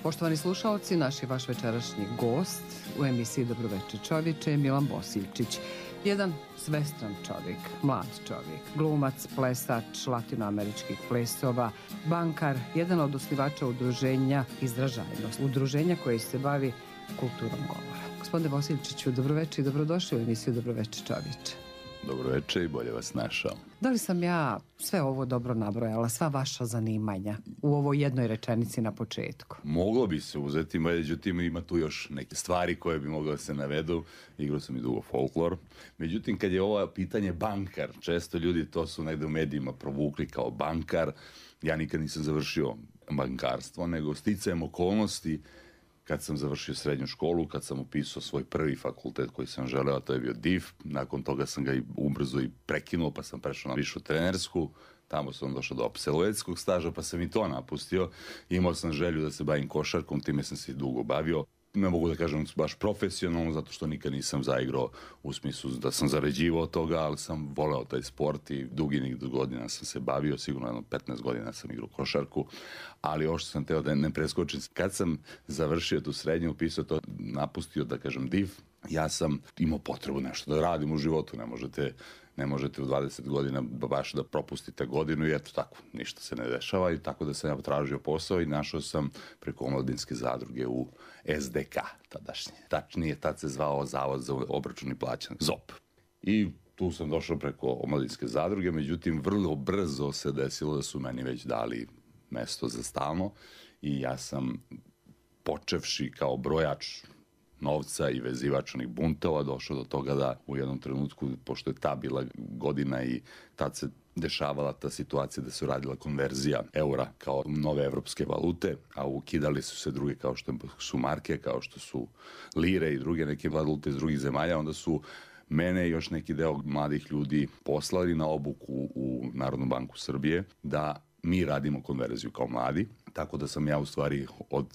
Poštovani slušaoci, naš je vaš večerašnji gost u emisiji Dobroveče čovječe je Milan Bosiljčić. Jedan svestran čovjek, mlad čovjek, glumac, plesač latinoameričkih plesova, bankar, jedan od osnivača udruženja Izražajnost, udruženja koje se bavi kulturom govora. Gospodine Bosiljčiću, dobroveče i dobrodošli u emisiju Dobroveče čovječe. Dobroveče i bolje vas našao. Da li sam ja sve ovo dobro nabrojala, sva vaša zanimanja u ovoj jednoj rečenici na početku? Moglo bi se uzeti, međutim ima tu još neke stvari koje bi moglo da se navedu. Igrao sam i dugo folklor. Međutim, kad je ovo pitanje bankar, često ljudi to su negde u medijima provukli kao bankar. Ja nikad nisam završio bankarstvo, nego sticajem okolnosti kad sam završio srednju školu, kad sam upisao svoj prvi fakultet koji sam želeo, a to je bio DIF. Nakon toga sam ga i ubrzo i prekinuo, pa sam prešao na višu trenersku. Tamo sam došao do apsolventskog staža, pa sam i to napustio. Imao sam želju da se bavim košarkom, time sam se dugo bavio. Ne mogu da kažem baš profesionalno, zato što nikad nisam zaigrao u smislu da sam zarađivao od toga, ali sam voleo taj sport i dugi godina sam se bavio, sigurno jedno 15 godina sam igrao košarku, ali ovo što sam teo da ne preskočim, kad sam završio tu srednju, upisao to, napustio da kažem DIF, ja sam imao potrebu nešto da radim u životu, ne možete u 20 godina baš da propustite godinu i eto tako, ništa se ne dešava i tako da sam ja tražio posao i našao sam preko omladinske zadruge u SDK tadašnje. Tačnije, tad se zvao Zavod za obračun i plaćanje, ZOP. I tu sam došao preko omladinske zadruge, međutim vrlo brzo se desilo da su meni već dali mesto za stalno i ja sam počevši kao brojač novca i vezivač onih buntova došao do toga da u jednom trenutku, pošto je ta bila godina i tad se dešavala ta situacija da se radila konverzija eura kao nove evropske valute, a ukidali su se druge kao što su marke, kao što su lire i druge neke valute iz drugih zemalja, onda su mene i još neki deo mladih ljudi poslali na obuku u Narodnu banku Srbije da mi radimo konverziju kao mladi, tako da sam ja u stvari od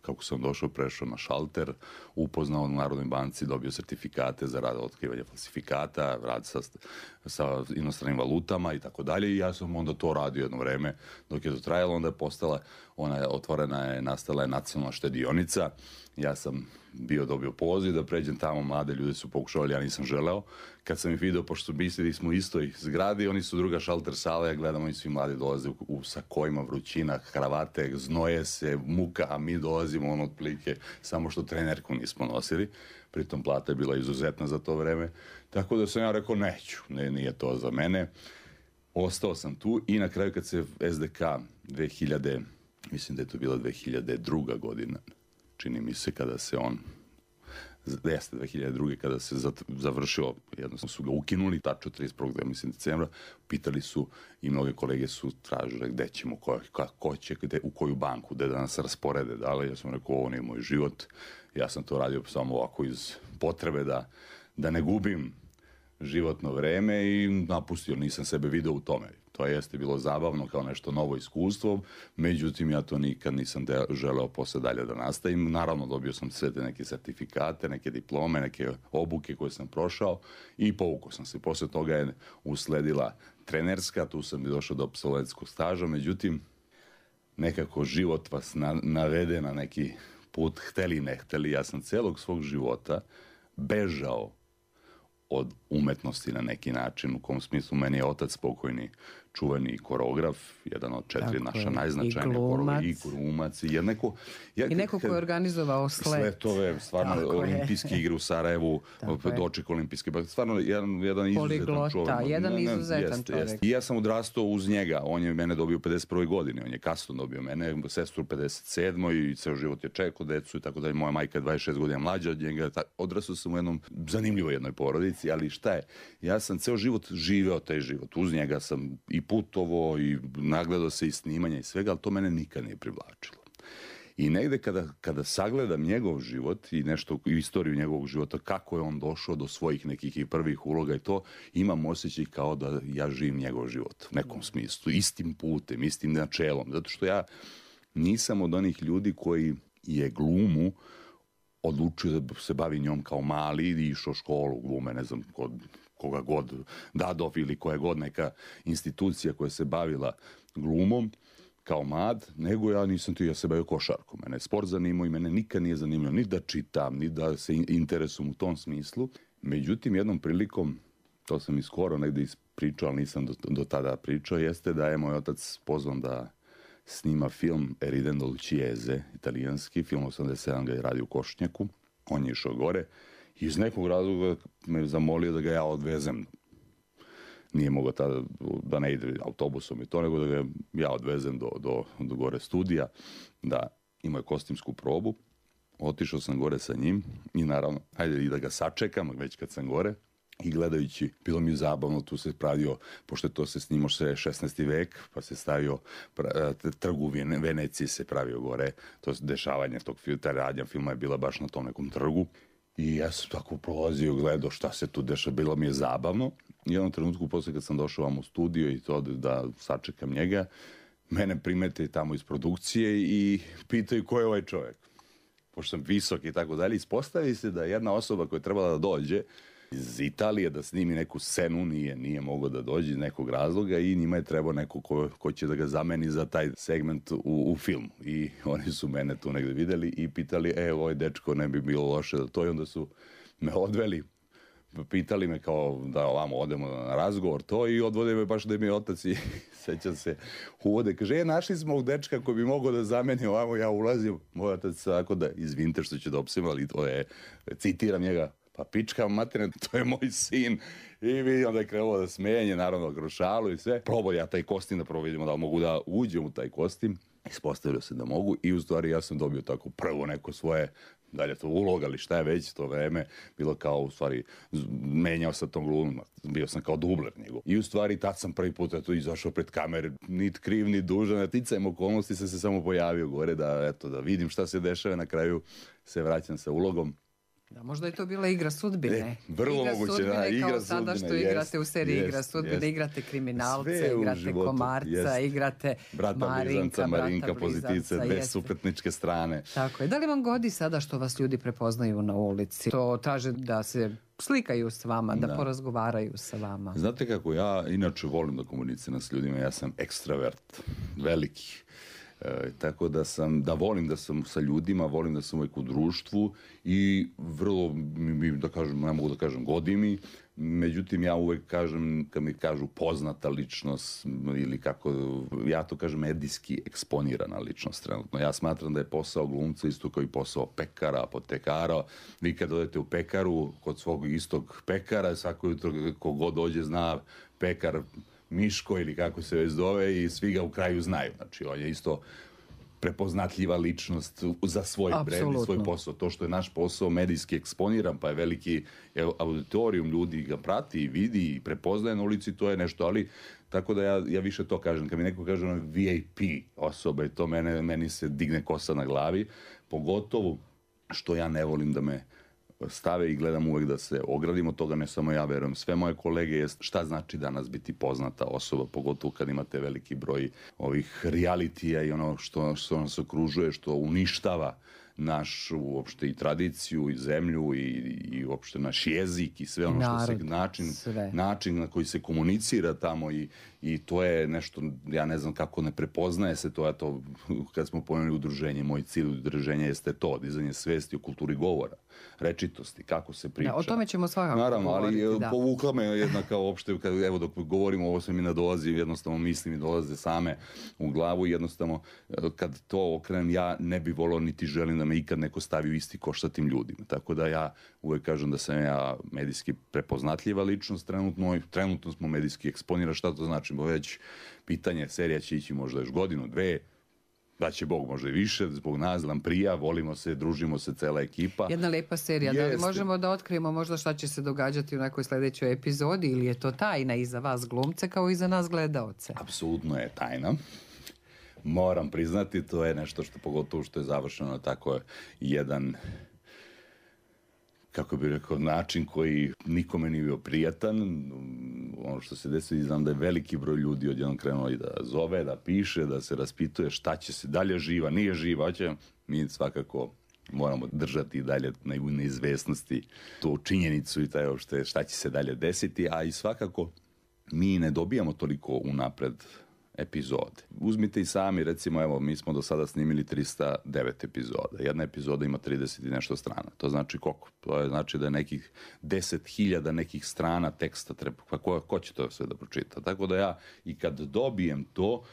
kako sam došao, prešao na šalter, upoznao u Narodnoj banci, dobio sertifikate za rad otkrivanja falsifikata, rad sa inostranim valutama i tako dalje i ja sam onda to radio jedno vreme dok je to trajalo, onda je postala, nastala je nacionalna štedionica, ja sam dobio poziv da pređem tamo, mlade ljudi su pokušavali, ja nisam želeo. Kad sam ih video, pošto su mislili smo u istoj zgradi, oni su druga šalter sala, ja gledam, oni svi mladi dolaze u sakojima, vrućina, kravate, znoje se, muka, a mi dolazimo otprilike, samo što trenerku nismo nosili, pritom plata je bila izuzetna za to vreme, tako da sam ja rekao neću, nije to za mene. Ostao sam tu i na kraju kad se SDK 2000, mislim da je to bila 2002. godina, čini mi se kada se on, jeste 2002. kada se završio, jednostavno su ga ukinuli, tačno 31. mislim decembra, pitali su i mnoge kolege su tražile gde ćemo, ko će, u koju banku, gde da nas rasporede, ja sam rekao ovo nije moj život, ja sam to radio samo ovako iz potrebe da ne gubim životno vreme i napustio, nisam sebe video u tome. To jeste bilo zabavno kao nešto novo iskustvo, međutim ja to nikad nisam želeo posle dalje da nastavim. Naravno dobio sam sve te neke sertifikate, neke diplome, neke obuke koje sam prošao i povukao sam se. Posle toga je usledila trenerska, tu sam i došao do apsolventskog staža, međutim nekako život vas navede na neki put, hteli ne hteli. Ja sam celog svog života bežao od umetnosti na neki način, u kom smislu meni je otac pokojni čuveni koreograf, jedan od 4 naša najznačajnija koreografa, i glumac, i neko ko je organizovao sletove, stvarno olimpijske igre u Sarajevu, doček olimpijske, stvarno jedan izuzetan čovjek. Jedan izuzetan čovjek. I ja sam odrastao uz njega, on je mene dobio u 51. godini, on je kasno dobio mene, sestru u 57. i ceo život je čekao decu i tako dalje, moja majka je 26 godina mlađa od njega, odrastao sam u jednom zanimljivoj jednoj porodici, ali šta je, ja sam ceo život živeo taj život, uz njega sam i putovo i nagledao se i snimanja i svega, ali to mene nikad nije privlačilo. I negde kada sagledam njegov život i nešto, istoriju njegovog života, kako je on došao do svojih nekih i prvih uloga i to, imam osjećaj kao da ja živim njegov život u nekom smislu, istim putem, istim načelom, zato što ja nisam od onih ljudi koji je glumu odlučio da se bavi njom kao mali i išao školu glume, ne znam, kod koga god, Dadov ili koja god neka institucija koja se bavila glumom, kao mlad, nego ja nisam ja se bavio košarkom. Mene je sport zanimao i mene nikad nije zanimljivo ni da čitam, ni da se interesujem u tom smislu. Međutim, jednom prilikom, to sam i skoro negdje ispričao, ali nisam do tada pričao, jeste da je moj otac pozvan da snima film Eridendo Luciese, italijanski, film 87 ga je radio u Košnjaku. On je išao gore i iz nekog razloga me zamolio da ga ja odvezem. Nije mogao tada da ne ide autobusom i to, nego da ga ja odvezem do gore studija, da imaju kostimsku probu. Otišao sam gore sa njim i naravno, hajde i da ga sačekam, već kad sam gore. I gledajući, bilo mi zabavno, tu se pravio, pošto to se snimao 16. vek, pa se stavio trg u Veneciji se pravio gore, to dešavanje tog filma, ta radnja filma je bila baš na tom nekom trgu. I ja sam tako prolazio, gledao šta se tu dešava, bilo mi je zabavno. I u jednom trenutku, posle kad sam došao vam u studio i to da sačekam njega, mene primete tamo iz produkcije i pitaju ko je ovaj čovjek. Pošto sam visok i tako dalje, ispostavi se da jedna osoba koja je trebala da dođe iz Italije da snimi neku scenu, nije mogao da dođe iz nekog razloga i njima je trebao neko ko će da ga zameni za taj segment u filmu. I oni su mene tu negde videli i pitali, ovaj dečko ne bi bilo loše da to, i onda su me odveli, pitali me kao da ovamo odemo na razgovor to i odvode me baš da mi je otac i sećam se uvode, kaže, našli smo ovog dečka koji bi mogao da zameni ovamo, ja ulazim, moj otac tako da, izvinite što ću da opsim, ali to je, citiram njega, pa pička materina, to je moj sin. I vidi, onda je krenuo da smenje, naravno grošalu i sve. Probao ja taj kostim da vidimo da mogu da uđem u taj kostim. Ispostavio se da mogu i u stvari ja sam dobio tako prvo neko svoje, dalje to uloga ali šta je već to vreme, bilo kao u stvari menjao sa tom glumom, bio sam kao dubler njegov. I u stvari tad sam prvi put tu izašao pred kamere, nit kriv, nit dužan, ticajem okolnosti sam se samo pojavio gore da vidim šta se dešava, na kraju se vraćam sa ulogom. Da, možda je to bila igra sudbine. Vrlo igra moguće, sudbine, da, igra kao sudbine. Sada što igrate u seriji Igra sudbine, igrate kriminalce, igrate komarca, igrate Marinka, pozitivice, dve suprotničke strane. Tako je. Da li vam godi sada što vas ljudi prepoznaju na ulici? To traže da se slikaju s vama, da porazgovaraju sa vama? Znate kako, ja inače volim da komuniciram s ljudima, ja sam ekstravert, veliki. Tako da volim da sam sa ljudima, volim da sam uvijek u društvu i vrlo, da kažem, ne mogu da kažem godi mi, međutim ja uvijek kažem, kad mi kažu poznata ličnost ili kako, ja to kažem medijski eksponirana ličnost trenutno. Ja smatram da je posao glumca isto kao i posao pekara, apotekara. Vi kad odete u pekaru, kod svog istog pekara, svako jutro kogod dođe zna pekar Miško ili kako se već zove i svi ga u kraju znaju. Znači, on je isto prepoznatljiva ličnost za svoj brand i svoj posao. To što je naš posao medijski eksponiran, pa je veliki auditorijum, ljudi ga prati i vidi i prepoznaje na ulici, to je nešto, ali tako da ja više to kažem. Kad mi neko kaže VIP osoba i to meni se digne kosa na glavi, pogotovo što ja ne volim da me stave i gledam uvek da se ogradim od toga, ne samo ja, verujem sve moje kolege, jest šta znači danas biti poznata osoba, pogotovo kad imate veliki broj ovih realitija i ono što nas okružuje, što uništava našu uopšte i tradiciju i zemlju i uopšte naš jezik i sve ono što se način na koji se komunicira tamo i to je nešto, ja ne znam kako ne prepoznaje se to, kad smo pomenuli udruženje, moj cilj udruženja jeste to, dizanje svesti o kulturi govora, rečitosti, kako se priča. Da, o tome ćemo svakako naravno, govoriti. Naravno, ali povukla me jedna kao uopšte, evo dok govorimo, ovo se mi nadolazi, jednostavno mislim i dolaze same u glavu i jednostavno kad to okrenem, ja ne bi volao niti želim da me ikad neko stavi u isti koš sa tim ljudima. Tako da ja uvek kažem da sam ja medijski prepoznatljiva ličnost trenutno smo medijski eksponirani, šta to znači? Bo već pitanje, serija će ići možda još godinu, dve, da će Bog možda i više, zbog nas, Lamprija, volimo se, družimo se, cela ekipa. Jedna lepa serija, da li možemo da otkrijemo možda šta će se događati u nekoj sljedećoj epizodi ili je to tajna i za vas glumce kao i za nas gledaoce? Apsolutno je tajna. Moram priznati, to je nešto što pogotovo što je završeno tako jedan, kako bih rekao, način koji nikome nije bio prijatan. Ono što se desi, znam da je veliki broj ljudi odjednom krenuo i da zove, da piše, da se raspituje šta će se dalje, živa, nije živa, mi svakako moramo držati i dalje na neizvesnosti tu činjenicu i taj šta će se dalje desiti, a i svakako mi ne dobijamo toliko unapred epizode. Uzmite i sami, recimo, evo, mi smo do sada snimili 309 epizoda. Jedna epizoda ima 30 i nešto strana. To znači koliko? To je znači da je nekih 10.000 nekih strana teksta treba. Pa ko će to sve da pročita? Tako da ja i kad dobijem to,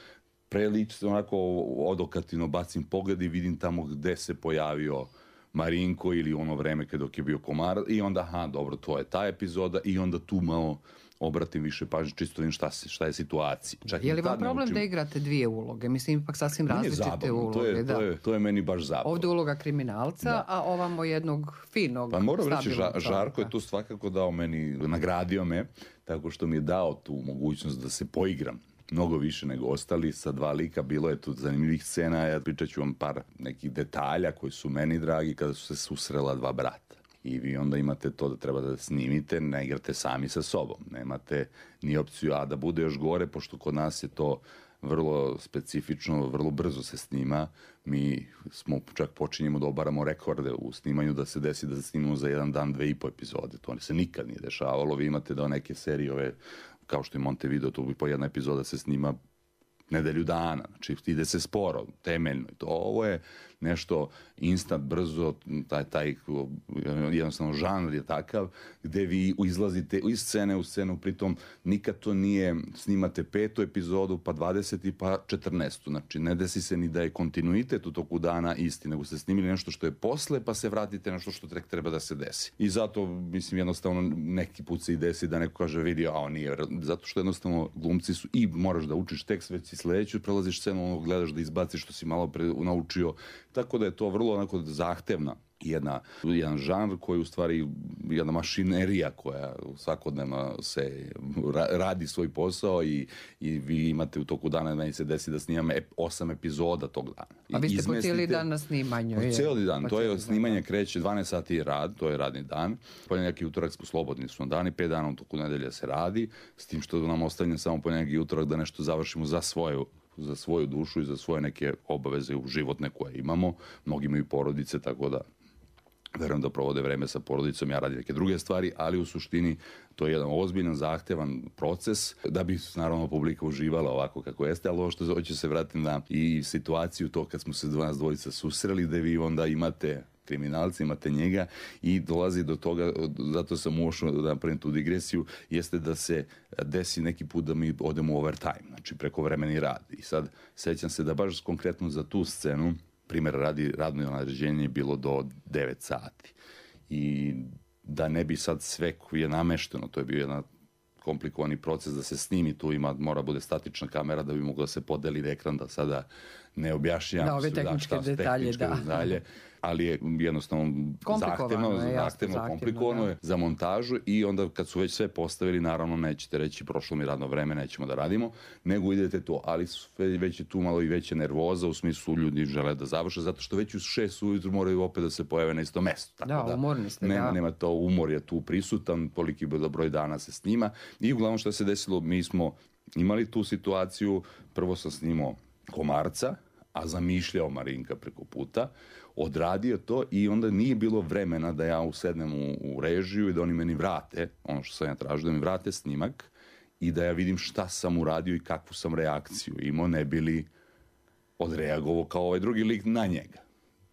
prelično onako odokativno bacim pogled i vidim tamo gde se pojavio Marinko ili ono vreme dok je bio Komarac i onda, dobro, to je ta epizoda i onda tu malo obratim više pažnje, čisto vidim šta je situacija. Je li vam problem da igrate dvije uloge? Mislim, ipak sasvim različite uloge. To je meni baš zabavno. Ovdje uloga kriminalca, a ovamo jednog finog, pa moram reći, stabilnog Žarko je tu svakako dao meni, nagradio me, tako što mi je dao tu mogućnost da se poigram mnogo više nego ostali, sa dva lika, bilo je tu zanimljivih scena, ja pričat ću vam par nekih detalja koji su meni dragi kada su se susrela dva brata. I vi onda imate to da treba da snimite, ne igrate sami sa sobom. Nemate ni opciju, a da bude još gore, pošto kod nas je to vrlo specifično, vrlo brzo se snima. Mi smo čak počinjemo da obaramo rekorde u snimanju, da se desi da snimamo za jedan dan 2,5 epizode. To se nikad nije dešavalo. Vi imate da neke serije ove, kao što je Montevideo, to bi po jedna epizoda se snima nedelju dana, znači ide se sporo, temeljno. Ovo je nešto instant, brzo, taj jednostavno žanr je takav gde vi izlazite iz scene u scenu, pritom nikad to nije, snimate 5. epizodu, pa 20. pa 14. Znači ne desi se ni da je kontinuitet u toku dana isti, nego ste snimili nešto što je posle, pa se vratite nešto što treba da se desi. I zato, mislim, jednostavno neki put se i desi da neko kaže vidi, a on nije, zato što jednostavno glumci su i moraš da učiš tekst, već si sledeću prelaziš scenu, ono gledaš da izbaciš što si malo pre naučio, tako da je to vrlo onako zahtevna jedan žanr koji u stvari jedna mašinerija koja svakodnevno se radi svoj posao i vi imate u toku dana, meni se desi da snimam 8 epizoda tog dana. A vi ste po cijeli dan na snimanju? Po cijeli dan, to je snimanje kreće 12 sati rad, to je radni dan, ponedjeljak i utorak smo slobodni su dani, 5 dana u toku nedelja se radi, s tim što nam ostavlja samo ponedjeljak i utorak da nešto završimo za svoju dušu i za svoje neke obaveze životne koje imamo. Mnogi imaju porodice, tako da verujem da provode vreme sa porodicom, ja radim neke druge stvari, ali u suštini to je jedan ozbiljan, zahtevan proces da bi naravno publika uživala ovako kako jeste, ali ovo što hoću se vratiti na i situaciju to kad smo se nas dvojica susreli, da vi onda imate kriminalci, imate njega i dolazi do toga, zato sam ušao da napravim tu digresiju, jeste da se desi neki put da mi odemo u overtime, znači prekovremeni rad. I sad sećam se da baš konkretno za tu scenu, primjer radi, radno naređenje je bilo do 9 sati. I da ne bi sad sve koji je namešteno, to je bio jedan komplikovani proces da se snimi, tu mora bude statična kamera da bi moglo da se podeli ekran, da sada ne objašnjam. Da, ove tehničke detalje, detalje, ali je jednostavno zahtevno, komplikovano je za montažu i onda kad su već sve postavili, naravno nećete reći prošlo mi radno vreme, nećemo da radimo, nego idete to, ali već je tu malo i veća nervoza, u smislu ljudi žele da završe, zato što već u 6 ujutru moraju opet da se pojave na isto mesto. Tako umorni ste. Nema to, umor je tu prisutan, toliki broj dana se snima i uglavnom što se desilo, mi smo imali tu situaciju, prvo sam snimao Komarca, a zamišljao Marinka preko puta, odradio to i onda nije bilo vremena da ja usednem u režiju i da oni meni vrate, ono što sam ja tražio, da mi vrate snimak i da ja vidim šta sam uradio i kakvu sam reakciju imao, ne bili odreagovao kao ovaj drugi lik na njega.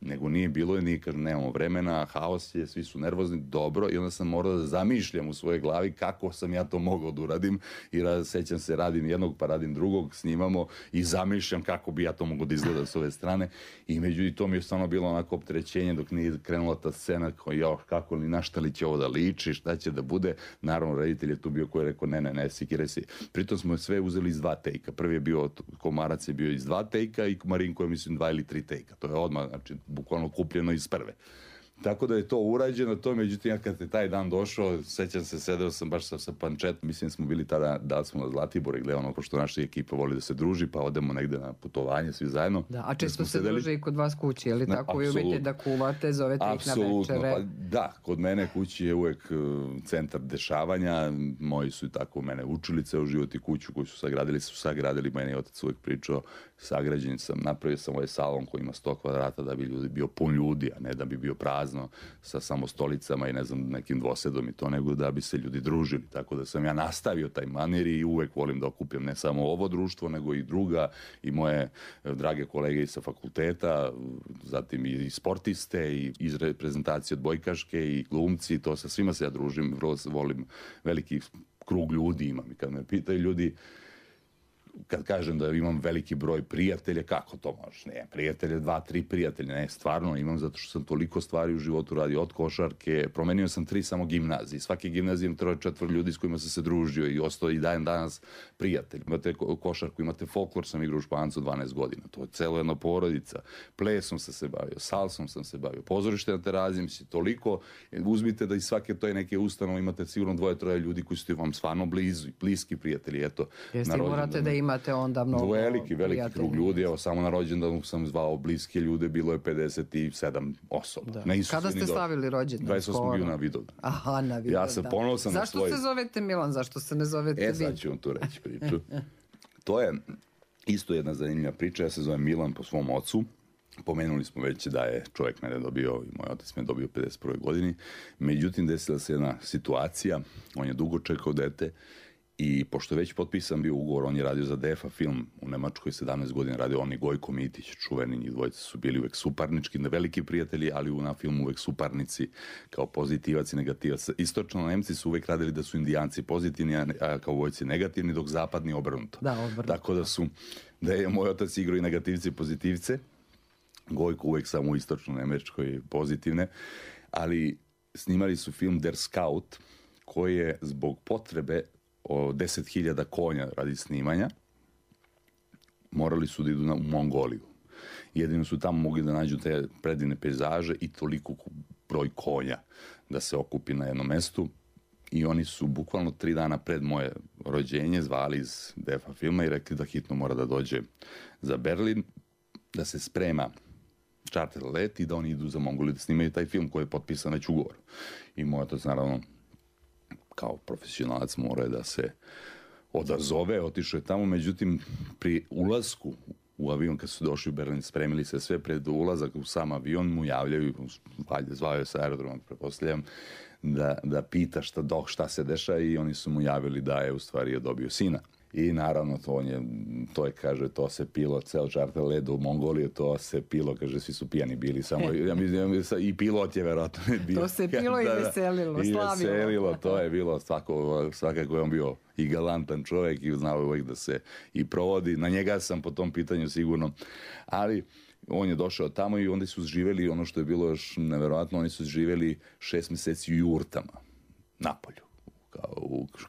Nego nije bilo, nije kažem, nemamo vremena, haos je, svi su nervozni, dobro, i onda sam morao da zamišljam u svojoj glavi kako sam ja to mogao da uradim i sećam se, radim jednog pa radim drugog, snimamo i zamišljam kako bi ja to mogao da izgleda s ove strane i međutim to mi je stvarno bilo onako opterećenje dok nije krenula ta scena kako li, na šta li će ovo da liči, šta će da bude, naravno reditelj je tu bio koji je rekao ne, sikiraj se. Pritom smo sve uzeli iz 2 tejka, prvi je bio, Komarac je bio iz 2 tejka i Marinko je mislim 2 ili 3 tejka, to je odmah, znači bukvalno kupljeno iz prve. Tako da je to urađeno, to međutim ja kad je taj dan došao, sećam se, sedeo sam baš sa pančetom, mislim smo bili tada, da smo na Zlatibor i gledano, pošto naša ekipa voli da se druži, pa odemo negde na putovanje svi zajedno. Da, a često se druže i kod vas kući, je li tako? Vi umete da kuvate, zovete ih na večere? Pa da, kod mene kući je uvek centar dešavanja, moji su i tako mene učili ceo život i kuću koju su sagradili, meni je otac uvek pričao, sagrađen sam, napravio sam ovaj salon koji ima 100 kvadrata da bi bio pun ljudi, a ne da bi bio pravi. prazno sa samo stolicama i ne znam nekim dvosedom i to, nego da bi se ljudi družili. Tako da sam ja nastavio taj manir i uvek volim da okupim ne samo ovo društvo, nego i druga i moje drage kolege sa fakulteta, zatim i sportiste i iz reprezentacije odbojkaške i glumci, to sa svima se ja družim, vrlo volim, veliki krug ljudi imam i kad me pitaju ljudi, kad kažem da imam veliki broj prijatelja, kako to možeš? Ne, prijatelje, 2-3 prijatelja, ne, stvarno imam zato što sam toliko stvari u životu radio, od košarke, promenio sam 3 samo gimnazije, svaki gimnazij imam 3-4 ljudi s kojima sam se družio i ostao i danas prijatelj. Imate košarku, imate folklor, sam igrao u Špancu 12 godina, to je celo jedna porodica, plesom sam se bavio, salsom sam se bavio, pozorište na Teraziji, mislim, toliko, uzmite da iz svake toj neke ustanove imate sigurno 2-3 ljudi koji su vam stvarno bliski prijatelji, eto. Jeste, morate da imate onda mnogo veliki krug ljudi, evo samo na rođendanu sam zvao bliske ljude, bilo je 57 osoba. Da. Kada ste slavili rođendan? 28. juna Vidovdan. Aha, na Vidovdan. Ja se ponosan na svoj... Zašto se zovete Milan, zašto se ne zovete Vid? Sad ću vam tu reći priču. To je isto jedna zanimljiva priča, ja se zovem Milan po svom ocu. Pomenuli smo već da je čovjek mene dobio i moj otac me dobio u 51. godini. Međutim, desila se jedna situacija, on je dugo čekao dete. I pošto je već potpisan bio ugovor, on je radio za DEFA film u Nemačkoj, 17 godina radio, on i Gojko Mitić, čuveni, njih dvojice su bili uvek suparnički, veliki prijatelji, ali na filmu uvek suparnici, kao pozitivac i negativac. Istočno Nemci su uvek radili da su Indijanci pozitivni, a kao vojci negativni, dok zapadni obrnuto. Da, obrnuto. Tako da je moj otac igrao i negativci i pozitivce, Gojko uvek samo u istočno Nemačkoj pozitivne, ali snimali su film Der Scout, koji je zbog potrebe o 10.000 konja radi snimanja, morali su da idu u Mongoliju. Jedino su tamo mogli da nađu te predivne pejzaže i toliko broj konja da se okupi na jednom mestu. I oni su bukvalno 3 dana pred moje rođenje zvali iz DEFA filma i rekli da hitno mora da dođe za Berlin, da se sprema čarter let i da oni idu za Mongoliju da snimaju taj film koji je potpisan već ugovor. I moj otac, naravno, kao profesionalac mora da se odazove, otišao je tamo, međutim pri ulasku u avion kad su došli u Berlin, spremili se sve pred ulazak u sam avion, mu javljaju, zvao je sa aerodroma, prepostavljam, da pita šta se dešava i oni su mu javili da je u stvari dobio sina. I naravno to je, kaže, to se pilo, ceo čarter let u Mongoliju, to se pilo, kaže, svi su pijani bili, samo, ja mislim, i pilot je verovatno bio. To se pilo i veselilo, slavilo. I veselilo, to je bilo, svakako je on bio i galantan čovjek i znao uvijek da se i provodi. Na njega sam po tom pitanju sigurno, ali on je došao tamo i onda su živjeli, ono što je bilo još neverovatno, oni su živjeli 6 mjeseci u jurtama, napolju.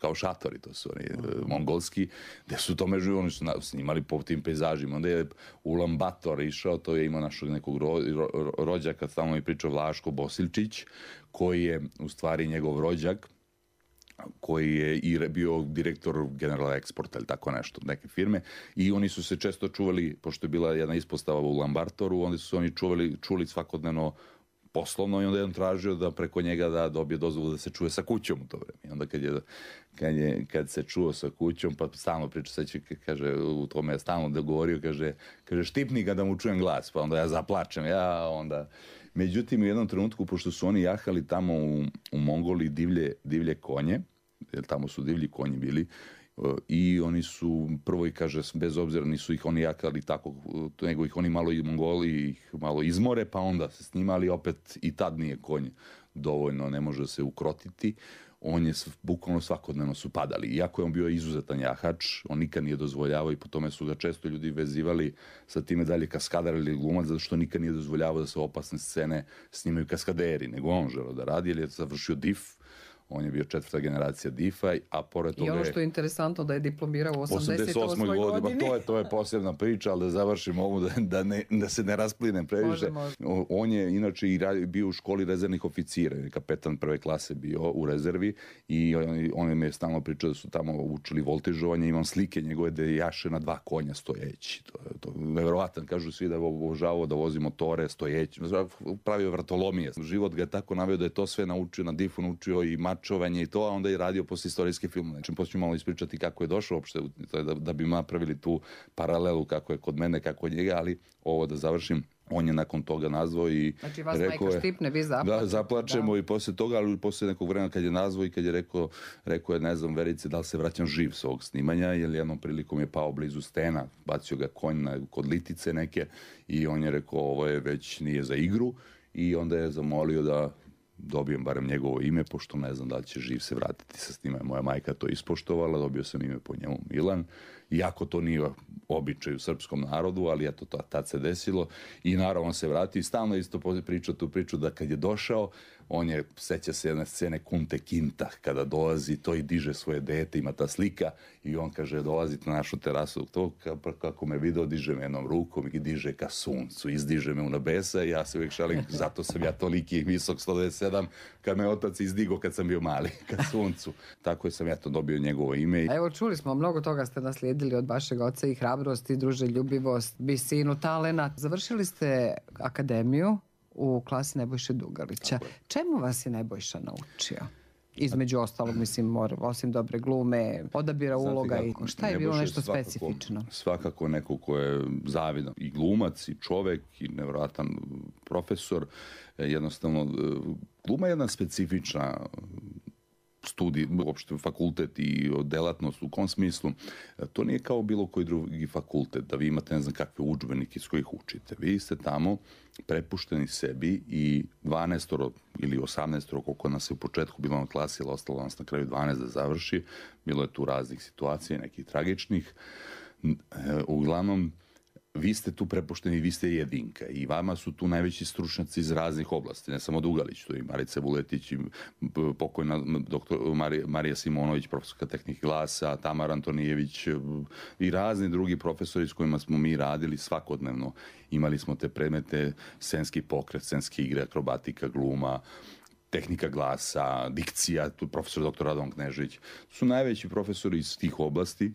Kao šatori, to su oni mongolski, gde su to među, oni su snimali po tim pejzažima. Onda je Ulan Bator išao, to je imao našeg nekog rođaka, tamo mi pričao Vlaško Bosiljčić, koji je u stvari njegov rođak, koji je i bio direktor General Exporta ili tako nešto, neke firme, i oni su se često čuvali, pošto je bila jedna ispostava u Ulan Batoru, onda su oni čuli svakodnevno poslovno i onda je on tražio da preko njega da dobije dozvolu da se čuje sa kućom u to vreme. I onda kad se čuo sa kućom, pa stalno priča, sad će, kaže, u tome je stalno dogovorio, kaže štipni ga da mu čujem glas, pa onda ja zaplačem, onda... Međutim, u jednom trenutku, pošto su oni jahali tamo u Mongoliji divlje konje, jer tamo su divlji konji bili, i oni su prvo, i kaže, bez obzira nisu ih oni jakali tako, nego ih oni malo i Mongoli ih malo izmore, pa onda se snimali, opet i tad nije konj dovoljno, ne može se ukrotiti, on je bukvalno svakodnevno su padali. Iako je on bio izuzetan jahač, on nikad nije dozvoljavao i po tome su ga često ljudi vezivali sa time dalje kaskadar ili glumac, zato što nikad nije dozvoljavao da se opasne scene snimaju kaskaderi, nego on želeo da radi, jer je završio DIF. On je bio 4. generacija DIF-a, a pored toga i ono što je interesantno da je diplomirao u 88. godini. To je posebna priča, ali da završimo ovo, da se ne rasplinem previše. Može. On je inače i bio u školi rezervnih oficira, kapetan 1. klase bio u rezervi i on mi je stalno pričao da su tamo učili voltižovanje, imam slike njegove da jaše na 2 konja stojeći. To je nevjerovatan, kažu svi da je obožavao da vozi motore stojeći, pravio vratolomije. Život ga je tako naveo da je to sve naučio, na DIF-u naučio i mačovanje i to, a onda je radio posle istorijske filmove. Znači, poslije malo ispričati kako je došao uopšte, da bi napravili tu paralelu kako je kod mene, kako je njega, ali ovo da završim. On je nakon toga nazvao i znači vas rekao majka štipne, vi zaplačete. Da, zaplačemo i poslije toga, ali poslije nekog vremena kad je nazvao i kad je rekao je, ne znam, Verice, da li se vraćam živ s ovog snimanja, jer jednom prilikom je pao blizu stena, bacio ga konj kod litice neke i on je rekao, ovo je već nije za igru i onda je zamolio da dobijem barem njegovo ime, pošto ne znam da li će živ se vratiti sa snimanja. Moja majka to ispoštovala, dobio sam ime po njemu Milan, iako to nije običaj u srpskom narodu, ali eto, tad se desilo i naravno on se vratio i stalno isto pričao tu priču da kad je došao, on je, seća se jedne scene Kunte Kinta, kada dolazi, to i diže svoje dete, ima ta slika i on kaže, dolazite na našu terasu, to kako me video, diže me jednom rukom i diže ka suncu, izdiže me u nebesa i ja se uvijek šalim, zato sam ja toliki visok 127, kad me otac izdigo kad sam bio mali, ka suncu. Tako sam ja to dobio njegovo ime. Evo, čuli smo, mnogo toga ste naslijedili od vašeg oca i hrabrost i druželjubivost, visinu, talenat. Završili ste akademiju u klasi Nebojše Dugalića. Čemu vas je Nebojša naučio? Između ostalog, mislim, osim dobre glume, odabira uloga i šta je bilo nešto specifično? Svakako neko ko je zavidan i glumac i čovek i nevjerojatan profesor. Jednostavno, gluma je jedna specifična studij, uopšte fakultet i delatnost u kom smislu, to nije kao bilo koji drugi fakultet, da vi imate ne znam kakve udžbenike iz kojih učite. Vi ste tamo prepušteni sebi i 12 ili 18, koliko nas je u početku bilo na klasi, ali ostalo nas na kraju 12 da završi. Bilo je tu raznih situacija, nekih tragičnih. Uglavnom, vi ste tu prepušteni, vi ste jedinka i vama su tu najveći stručnjaci iz raznih oblasti, ne samo Dugalić, tu i Marica Vuletić, i pokojna doktor Marija Simonović, profesorka tehnike glasa, Tamara Antonijević i razni drugi profesori s kojima smo mi radili svakodnevno. Imali smo te predmete, scenski pokret, scenske igre, akrobatika, gluma, tehnika glasa, dikcija, tu profesor dr. Radovan Knežević, su najveći profesori iz tih oblasti.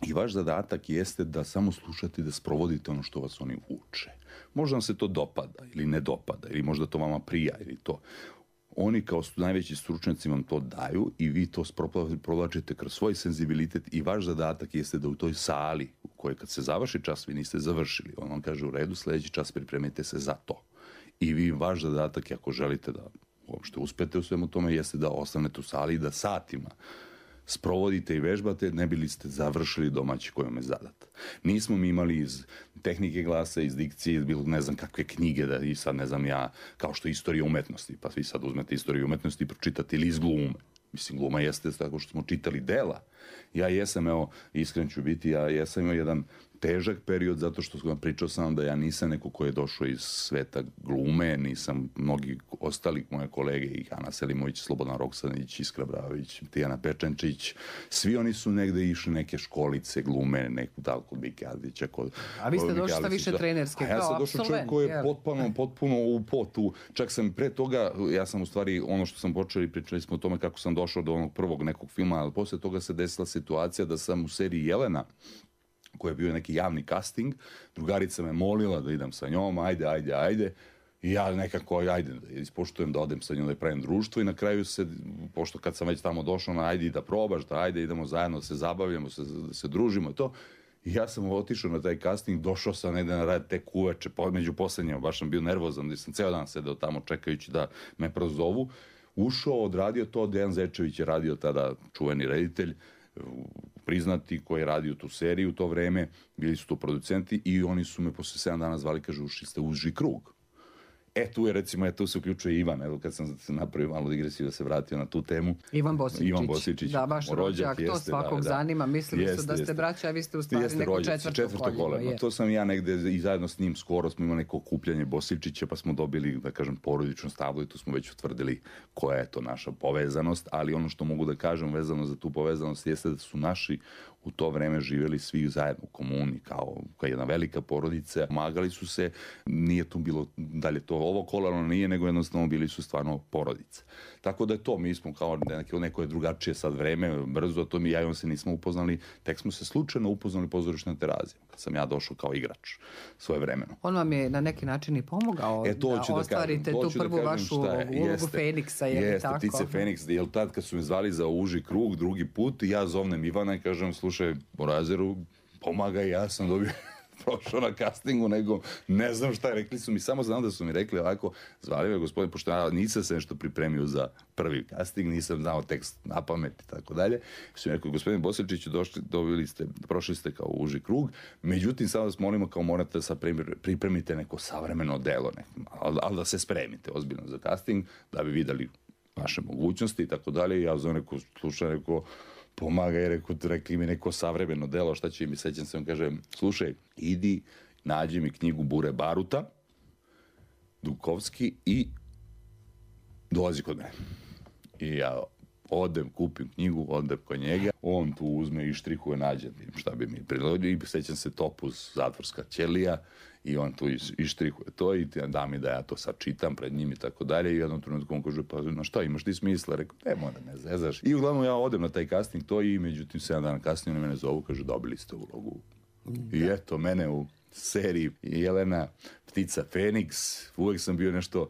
I vaš zadatak jeste da samo slušate i da sprovodite ono što vas oni uče. Možda vam se to dopada ili ne dopada, ili možda to vama prija, ili to. Oni kao najveći stručnjaci vam to daju i vi to provlačite kroz svoj senzibilitet i vaš zadatak jeste da u toj sali u kojoj kad se završi čas vi niste završili. On vam kaže u redu, sljedeći čas pripremite se za to. I vi vaš zadatak, ako želite da uopšte uspete u svemu tome, jeste da ostanete u sali i da satima sprovodite i vežbate, ne bili ste završili domaći kojom je zadat. Nismo mi imali iz tehnike glasa, iz dikcije, bilo ne znam kakve knjige, da i sad ne znam ja, kao što je istorija umetnosti, pa vi sad uzmete istoriju umetnosti i pročitate ili iz glume. Mislim, gluma jeste tako što smo čitali dela. Ja jesam, evo, iskren ću biti, ja jesam imao jedan težak period zato što pričao sam da ja nisam neko ko je došao iz sveta glume, nisam mnogi ostali moje kolege, i Ana Selimović, Slobodan Roksanić, Iskra Bravović, Tijana Pečančić, svi oni su negde išli neke školice glume, neku dal kod Bike Ardića. A vi ste došli sa više trenerske, kao absolvent. Ja sam došao čovjek koji je potpuno u potu. Čak sam pre toga, ja sam u stvari, ono što sam počeli, pričali smo o tome kako sam došao do onog prvog nekog filma, ali posle toga se desila situacija da sam u seriji Jelena, koji je bio neki javni casting, drugarica me molila da idem sa njom, ajde. I ja nekako, ajde, ispoštujem da odem sa njom, da pravim društvo i na kraju se, pošto kad sam već tamo došao, ajde da probaš, da ajde, idemo zajedno, da se zabavljamo, da se družimo i to. I ja sam otišao na taj casting, došao sam negde na rad tek uveče, među poslednjima, baš sam bio nervozan, da sam ceo dan sedeo tamo čekajući da me prozovu. Ušao, odradio to, Dejan Zečević je radio tada, čuveni reditelj, priznati, koji je radio tu seriju u to vreme, bili su tu producenti i oni su me posle 7 dana zvali, kaže, ušli ste u uži krug. Tu je recimo, tu se uključuje Ivan, evo kad sam napravio malo digresiju da se vratio na tu temu. Ivan Bosiličić. Da, vaš rođak, to svakog zanima, mislili su da ste braća, a vi ste u stvari neko četvrto koleno. To sam ja negde i zajedno s njim skoro smo imali neko okupljanje Bosiličića, pa smo dobili, da kažem, porodičnu stablu i tu smo već utvrdili koja je to naša povezanost, ali ono što mogu da kažem vezano za tu povezanost jeste da su naši u to vreme živjeli svi zajedno u komuni, kao jedna velika porodica. Pomagali su se, nije tu bilo dalje to ovo kolano, nije, nego jednostavno bili su stvarno porodice. Tako da je to, mi smo kao neko je drugačije sad vreme, brzo, to mi ja i on se nismo upoznali, tek smo se slučajno upoznali pozorišne terazije, kad sam ja došao kao igrač svoje vremeno. On vam je na neki način i pomogao da ostvarite tu prvu vašu ulogu Feniksa, je li tako? Jeste, ptice Feniks, jer tad kad su me zvali za uži krug, drugi put, ja zovnem Ivana i kažem, slušaj, Borazeru, pomagaj, ja sam dobio prošao na castingu, nego ne znam šta, rekli su mi, samo znam da su mi rekli ovako, zvali me gospodin, pošto ja nisam se nešto pripremio za prvi casting, nisam znao tekst na pamet i tako dalje, su mi rekli, gospodin Bosiljčiću, prošli ste kao uži krug, međutim, sad vas molimo kao morate da pripremite neko savremeno delo, ali da se spremite ozbiljno za casting, da bi videli vaše mogućnosti i tako dalje. Ja zovem neko slušaj, neko pomagaj, rekli mi neko savremeno delo, šta će mi, sećam se, on kaže, slušaj, idi, nađi mi knjigu Bure Baruta, Dukovski i dolazi kod mene. I ja odem, kupim knjigu, odem kod njega, on tu uzme i štrihuje, nađe šta bi mi prilodio i sećam se Topuz, zatvorska ćelija, i on tu ištrihuje to i da mi da ja to sad čitam pred njim i tako dalje i u jednom trenutku on kaže, pa na šta imaš ti smisla? Rekao, mora ne zezaš. I uglavnom ja odem na taj casting to i međutim 7 dana kasnije oni mene zovu, kaže, dobili ste ulogu. I eto, mene u seriji Jelena Ptica Feniks, uvek sam bio nešto,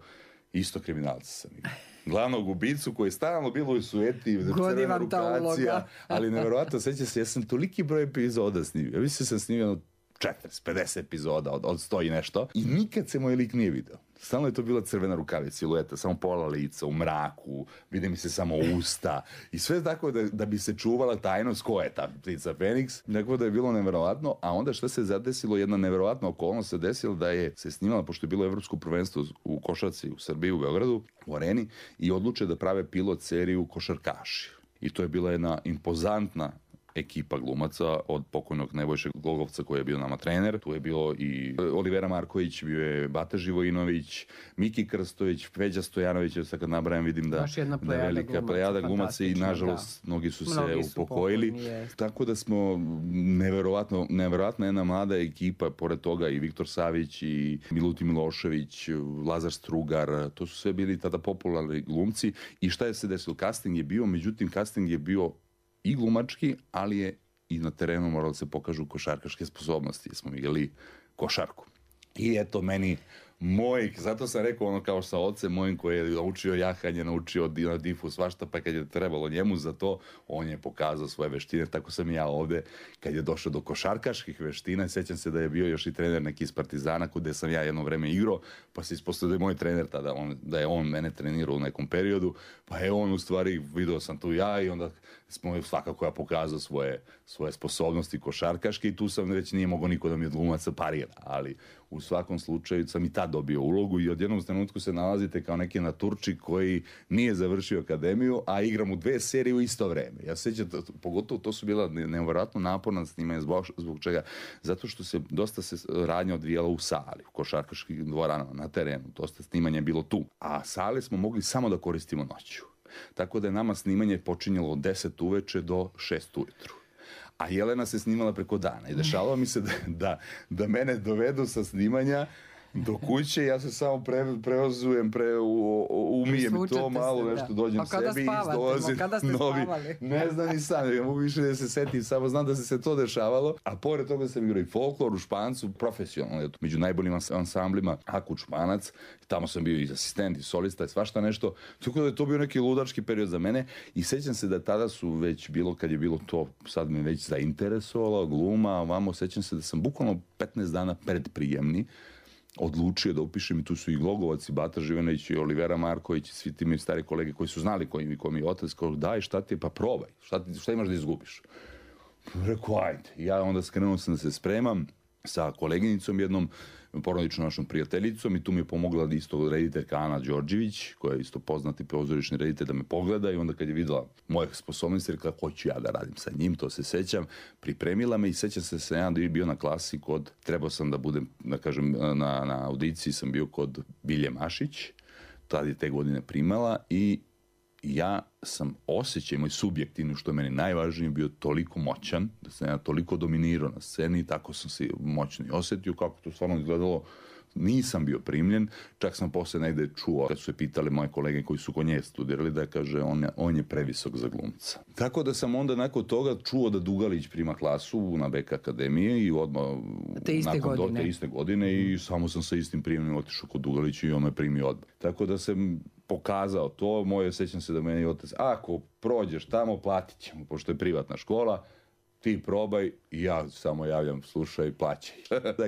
isto kriminalca sam igrao. Glavnog ubicu koji je stalno bilo u sueti, crvena rukacija, ali nevjerovatno, seća se, ja sam toliki broj epizoda snimio. Ja mislim sam snimio 40-50 epizoda od 100 i nešto i nikad se moj lik nije video. Stalno je to bila crvena rukavica, silueta, samo pola lica, u mraku, vide mi se samo usta i sve tako da bi se čuvala tajnost ko je ta ptica Feniks, tako da je bilo neverovatno, a onda što se zadesilo, jedna neverovatna okolnost se desila da je se snimala, pošto je bilo evropsko prvenstvo u košarci u Srbiji, u Beogradu, u Areni, i odluče da prave pilot seriju Košarkaši. I to je bila jedna impozantna ekipa glumaca od pokojnog Nebojše Glogovca koji je bio nama trener. Tu je bilo i Olivera Marković, bio je Bata Živojinović, Miki Krstović, Peđa Stojanović, sad kad nabrajam vidim da je velika plejada glumaca i nažalost mnogi su se upokojili. Tako da smo neverovatna jedna mlada ekipa, pored toga i Viktor Savić i Milutin Milošević, Lazar Strugar, to su sve bili tada popularni glumci. I šta je se desilo? Casting je bio, međutim casting je bio i glumački, ali je i na terenu moralo da se pokažu košarkaške sposobnosti, jer smo igrali košarku. I eto meni zato sam rekao ono kao sa ocem mojim koji je naučio jahanje, naučio na difu svašta, pa kad je trebalo njemu za to, on je pokazao svoje veštine, tako sam i ja ovde, kad je došao do košarkaških veština, sećam se da je bio još i trener neki iz Partizana, gde sam ja jedno vreme igrao, pa se ispostavio da je moj trener tada, da je on mene trenirao u nekom periodu, pa je on u stvari, video sam tu ja i onda smo svakako ja pokazao svoje sposobnosti košarkaške i tu sam već nije mogao niko da mi od glumaca parira, ali u svakom slučaju sam i tad dobio ulogu i od jednom trenutku se nalazite kao neki naturčik koji nije završio akademiju, a igram u 2 serije u isto vreme. Ja sećam, pogotovo to su bila nevjerojatno naporna snimanja, zbog čega? Zato što se dosta radnja odvijala u sali, u košarkaških dvoranama, na terenu, dosta snimanja je bilo tu, a sale smo mogli samo da koristimo noću. Tako da je nama snimanje počinjalo od 10 uveče do 6 ujutru. A Jelena se snimala preko dana i dešavalo mi se da mene dovedu sa snimanja do kuće, ja se samo preozujem, umijem to malo, nešto dođem sebi i dolazim novi. Ne znam ni sam, ja mogu više da se setim, samo znam da se to dešavalo, a pored toga sam igrao i folklor u Špancu, profesionalno, među najboljim ansamblima, Akuć Španac, tamo sam bio i asistent, i solista, i svašta nešto, tako da je to bio neki ludački period za mene i sećam se da tada su već bilo, kad je bilo to, sad me već zainteresovalo, gluma, ovamo, sećam se da sam bukvalno 15 dana pred prijemni odlučio da upišem i tu su i Glogovac, i Bata Živenović, i Olivera Marković, i svi ti mi stari kolege koji su znali ko mi je otac, kao daj šta ti je, pa probaj, šta imaš da izgubiš? Rekao, ajde. Ja onda skrenuo sam da se spremam sa koleginicom jednom, porodičnom našom prijateljicom i tu mi je pomogla isto rediteljka Ana Đorđević, koja je isto poznati pozorišni reditelj, da me pogleda i onda kad je videla moje sposobnosti, rekla, hoću ja da radim sa njim, to se sećam, pripremila me i sećam se da sam ja bio na klasi trebao sam da budem, da kažem, na audiciji sam bio kod Bilje Mašić, tad je te godine primala i ja sam osjećaj, moj subjektivni, što je meni najvažnije, bio toliko moćan, da sam ja toliko dominirao na sceni i tako sam se moćno i osjetio, kako to stvarno izgledalo. Nisam bio primljen, čak sam posle negde čuo, kad su se pitali moje kolege koji su kod nje studirali, da kaže on je previsok za glumca. Tako da sam onda nakon toga čuo da Dugalić prima klasu na BK akademije i odmah te iste godine i samo sam sa istim primljenim otišao kod Dugalića i on me primio odmah. Tako da sam pokazao to, sećam se da meni otac, ako prođeš tamo, platit ćemo, pošto je privatna škola, ti probaj i ja samo javljam, slušaj, plaćaj.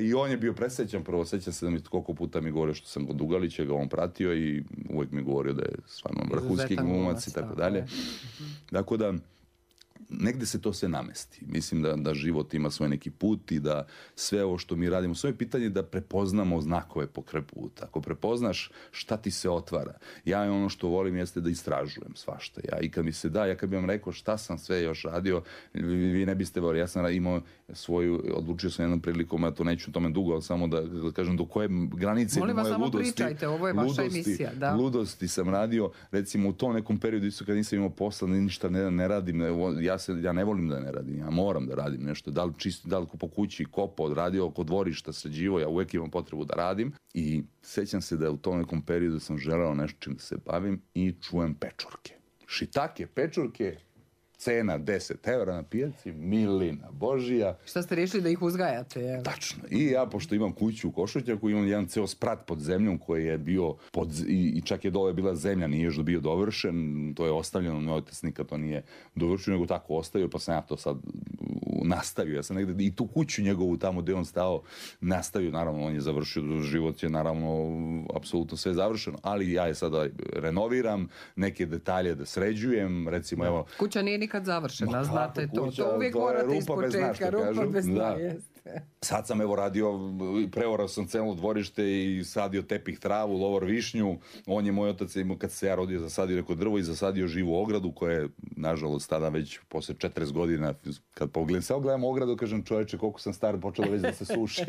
I on je bio presrećan, prvo sećam se da mi koliko puta mi govorio što sam kod Dugalića, ga on pratio i uvijek mi govorio da je stvarno vrhunski glumac i tako dalje. Dakle da, negde se to sve namesti. Mislim da život ima svoj neki put i da sve ovo što mi radimo, svoje pitanje da prepoznamo znakove pokraj puta. Ako prepoznaš šta ti se otvara. Ja ono što volim jeste da istražujem svašta. I kad mi se da, ja kad bi vam rekao šta sam sve još radio, vi ne biste volili. Ja sam imao odlučio sam jednom prilikom, ja to neću tome dugo, ali samo da kažem do koje granice moje ludosti. Molim vas, samo pričajte, ovo je vaša emisija. Da. Ludosti sam radio, recimo u tom nekom periodu isto kad nisam imao posla, ništa ne radim, ja ne volim da ne radim, ja moram da radim nešto, da li po kući kopo, odradio oko dvorišta, sređivo, ja uvijek imam potrebu da radim i sećam se da u tom nekom periodu sam želeo nešto čim da se bavim i čujem pečurke. Šitake, pečurke, cena 10 € na pijaci, milina Božija. Šta ste rešili da ih uzgajate? Je? Tačno. I ja, pošto imam kuću u Košutnjaku, imam jedan ceo sprat pod zemljom koji je bio i čak je dole bila zemlja, nije još bio dovršen, to je ostavljeno, moj otac nikad to nije dovršio, nego tako ostavio, pa sam ja to sad nastavio. Ja sam negde i tu kuću njegovu tamo gde on stao nastavio, naravno on je završio, život je naravno apsolutno sve završeno, ali ja je sada renoviram, neke detalje da sređujem, recimo evo... Kuća nije nikad završena, znate to. To uvijek morate iz početka, rupa bez dna, jeste. Sad sam evo radio, preorao sam celo dvorište i sadio tepih travu, lovor višnju. On je, moj otac, kad se ja rodio, zasadio neko drvo i zasadio živu ogradu, koja je, nažalost, tada već posle 40 godina, kad gledam ogradu, kažem, čoveče, koliko sam star, počelo već da se suši.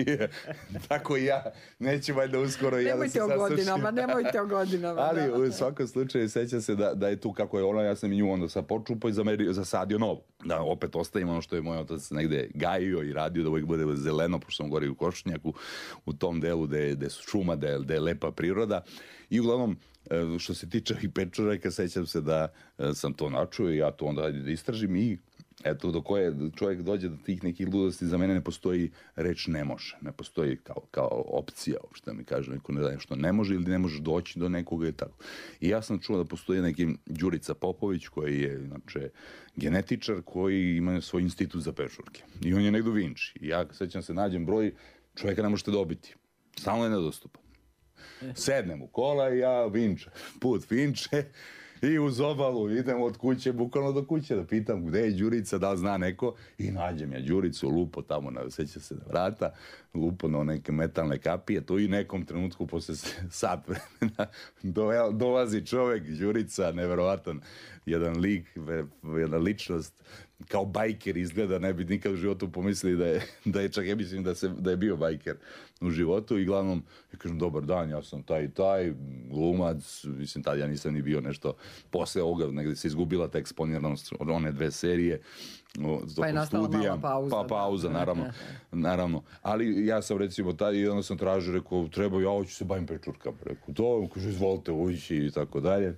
Tako i ja, neću valjda uskoro ja da se sasušim. Nemojte o godinama. Ali u svakom slučaju sećam se da je tu kako je ona, ja sam i nju onda sad počupao i zasadio novo. Da opet ostavim ono što je moj otac negde gajio i radio, da uvijek bude zeleno, pošto sam govorio u Košutnjaku, u tom delu gde su šuma, gde je lepa priroda. I uglavnom, što se tiče i pečuraka, sećam se da sam to načuo i ja to onda da istražim i eto, do koje čovjek dođe do tih nekih ludosti, za mene ne postoji reč ne može, ne postoji kao opcija, što mi kaže neko nešto ne može ili ne možeš doći do nekoga i tako. I ja sam čuo da postoji neki Đurica Popović koji je, znači, genetičar koji ima svoj institut za pečurke. I on je negdje u Vinči. I ja, sećam se, nađem broj, čovjeka ne možete dobiti. Stalno je nedostupan. Sednem u kola i ja put Vinče, i uz obalu idem od kuće, bukvalno do kuće, da pitam gde je Đurica, da li zna neko, i nađem ja Đuricu, lupo tamo, seća se na vrata, lupo na neke metalne kapije, to i nekom trenutku posle sat vremena dolazi čovek, Đurica, neverovatan, jedan lik, jedna ličnost, kao bajker izgleda, ne bi nikad u životu pomislili da je čak, ja mislim da je bio bajker u životu i glavnom, ja kažem, dobar dan, ja sam taj i taj, glumac, mislim, tad ja nisam ni bio nešto, posle ovoga, negdje se izgubila ta eksponiranost od one 2 serije, pa je nastala mala pauza. Pa pauza, naravno. Ali ja sam recimo i onda sam tražio, rekao, treba, ja hoću se bavim pečurkama. Rekao, to, kaže, izvolite ući i tako dalje.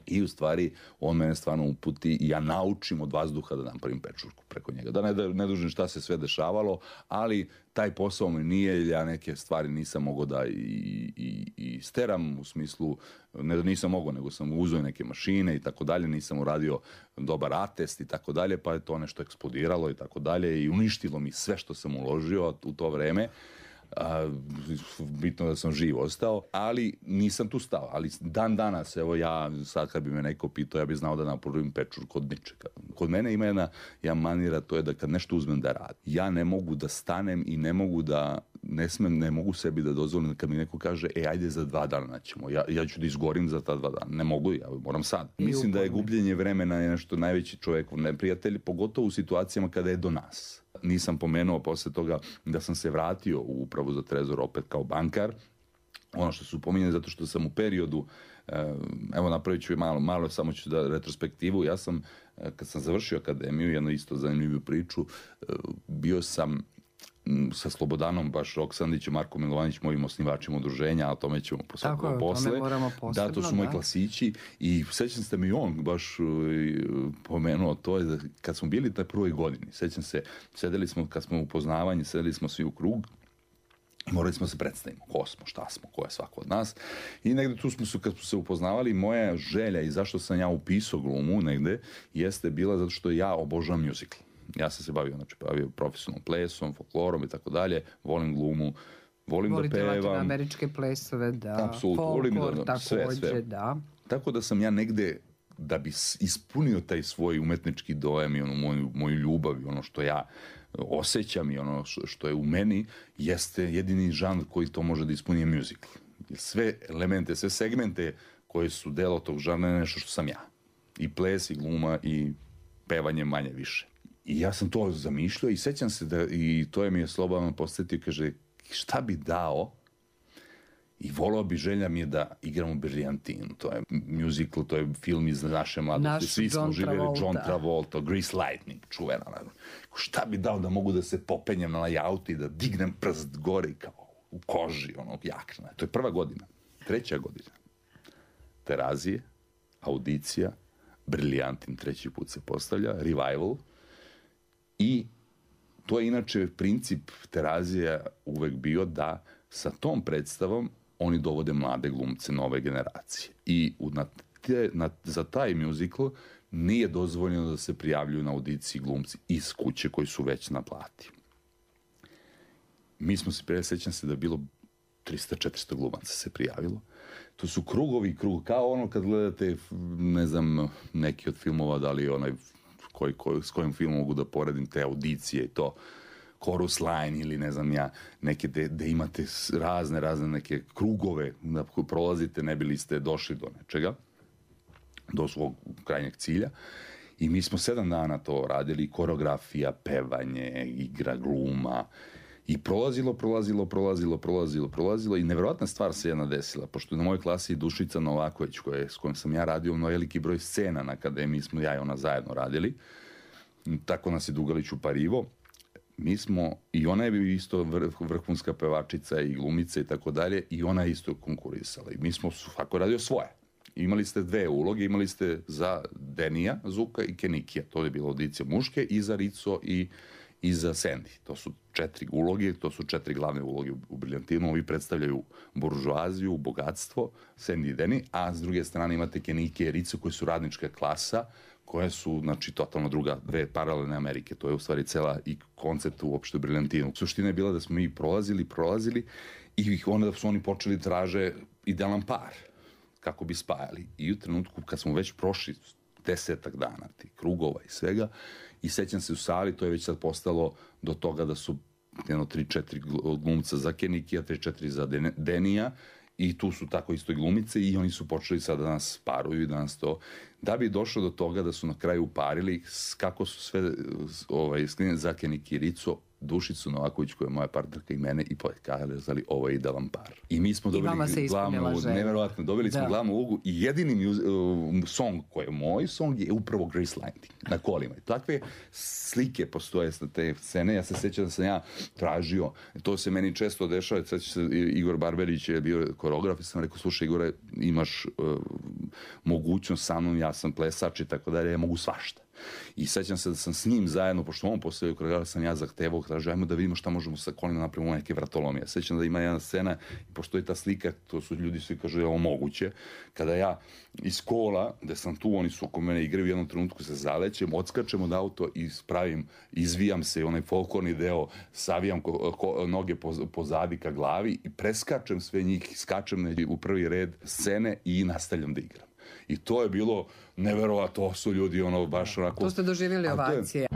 I u stvari, on mene stvarno uputi i ja naučim od vazduha da napravim pečurku preko njega. Da ne dužim šta se sve dešavalo, ali taj posao mi nije, ja neke stvari nisam mogao da i steram, u smislu, ne da nisam mogao, nego sam uzeo neke mašine i tako dalje, nisam uradio dobar atest i tako dalje, pa je to nešto eksplodiralo i tako dalje i uništilo mi sve što sam uložio u to vreme. Bitno da sam živ ostao, ali nisam tu stao. Ali dan danas, evo ja sad kad bi me neko pitao, ja bih znao da napravim pečurku od ničega. Kod mene ima jedna manira, to je da kad nešto uzmem da radim, ja ne mogu da stanem i ne mogu sebi da dozvolim kad mi neko kaže, ajde za 2 dana ćemo, ja ću da izgorim za ta 2 dana. Ne mogu, ja moram sad. Mislim da je gubljenje vremena je nešto najveći čovjekov neprijatelj, pogotovo u situacijama kada je do nas. Nisam pomenuo posle toga da sam se vratio u Upravu za trezor opet kao bankar. Ono što su pominjali, zato što sam u periodu, evo napravit ću malo, samo ću da retrospektivu, ja sam, kad sam završio akademiju, jednu isto zanimljivu priču, bio sam sa Slobodanom baš Roksandićem, Marko Milovanić, mojim osnivačima udruženja, a o tome ćemo posle. Da, to su moji klasići i sećam se da mi on baš pomenuo to, je da kad smo bili na prvoj godini, sećam se, sedeli smo, kad smo u upoznavanju, sedeli smo svi u krug i morali smo se predstavimo, ko smo, šta smo, ko je svako od nas. I negde tu smo se, kad smo se upoznavali, moja želja i zašto sam ja upisao glumu negde, jeste bila zato što ja obožavam mjuzikl. Ja sam se bavio profesionalnom plesom, folklorom i tako dalje, volim glumu, volim da pevam. Volite latinoameričke plesove, da. Apsolutno, Folklor, sve. da. Tako da sam ja negde, da bi ispunio taj svoj umetnički dojam i onu moju ljubav i ono što ja osjećam i ono što je u meni, jeste jedini žanr koji to može da ispuni je musical. Sve elemente, sve segmente koje su delo tog žanra je nešto što sam ja. I ples, i gluma, i pevanje manje više. I ja sam to zamišljao i sećam se da, i to je mi je Slobodan posjetio, kaže, šta bi dao i volao bi, želja mi je da igram u Briljantinu. To je musical, to je film iz naše mladosti. Svi smo živjeli, John Travolta, Grease Lightning, čuvena. Šta bi dao da mogu da se popenjem na auto i da dignem prst gore kao u koži, onog jakna. To je prva godina. Treća godina. Terazije, audicija, Briljantin treći put se postavlja, revival. I to je inače princip Terazija uvek bio da sa tom predstavom oni dovode mlade glumce nove generacije. I za taj musical nije dozvoljeno da se prijavljuju na audiciji glumci iz kuće koji su već na plati. Mi smo se, sećam se da je bilo 300-400 glumaca se prijavilo. To su krugovi, kao ono kad gledate, ne znam, neki od filmova, da li onaj s kojim filmom mogu da poredim te audicije i to, chorus line ili ne znam ja, neke gde imate razne neke krugove da prolazite, ne bili ste došli do nečega, do svog krajnjeg cilja. I mi smo 7 dana to radili, koreografija, pevanje, igra, gluma. I prolazilo i nevjerojatna stvar se jedna desila, pošto na mojoj klasi je Dušica Novaković, s kojom sam ja radio na veliki broj scena na akademiji, smo ja i ona zajedno radili. Tako nas je Dugalić uparivo. Mi smo, i ona je isto vrhunska pevačica i glumica i tako dalje, i ona je isto konkurisala. I mi smo svako radio svoje. Imali ste 2 uloge, imali ste za Denija Zuka i Kenikija, to je bila audicija muške, i za Rico i za Sandy. To su 4 uloge, to su 4 glavne uloge u Briljantinu. Ovi predstavljaju buržuaziju, bogatstvo, Sandy i Deni, a s druge strane imate Kenikije i Rico koji su radnička klasa, koje su, znači, totalno druga, 2 paralelne Amerike. To je u stvari cela i koncept uopšte u Briljantinu. Suština je bila da smo mi prolazili i onda su oni počeli traže idealan par kako bi spajali. I u trenutku kad smo već prošli 10 dana, tih krugova i svega, i sećam se u sali, to je već sad postalo do toga da su 3-4 glumca za Kenikija, 3-4 za Denija, i tu su tako isto i glumice, i oni su počeli sad da nas paruju i da nas to... Da bi došlo do toga da su na kraju uparili kako su sve za Kenikija i Rico, Dušicu Novaković, koja je moja partnerka, i mene, i pokazali ovo je idealan par. I mi smo dobili glavnu, neverovatno, dobili smo glavnu ulogu, i jedini song koji je moj song je upravo Grease Lightning na kolima. I takve slike postoje sa te scene. Ja se sjećam da sam ja tražio, to se meni često dešava, sećam se, Igor Barberić je bio koreograf i sam rekao, slušaj Igore, imaš mogućnost sa mnom, ja sam plesač i tako dalje, ja mogu svašta. I sećam se da sam s njim zajedno, pošto on postavio koreograf, sam ja zahtevao, tražio, ajmo da vidimo šta možemo sa kolima napravimo neke vratolomije. Sećam da ima jedna scena i postoji ta slika, to su ljudi svi kažu je ovo moguće, kada ja iz kola, gde sam tu, oni su oko mene igraju, u jednom trenutku se zalećem, odskačem od auto i izvijam se, onaj folklorni deo, savijam noge pozadi ka glavi i preskačem sve njih, skačem u prvi red scene i nastavljam da igram. I to je bilo neverovatno, to su ljudi baš onako... To ste doživjeli ovacije.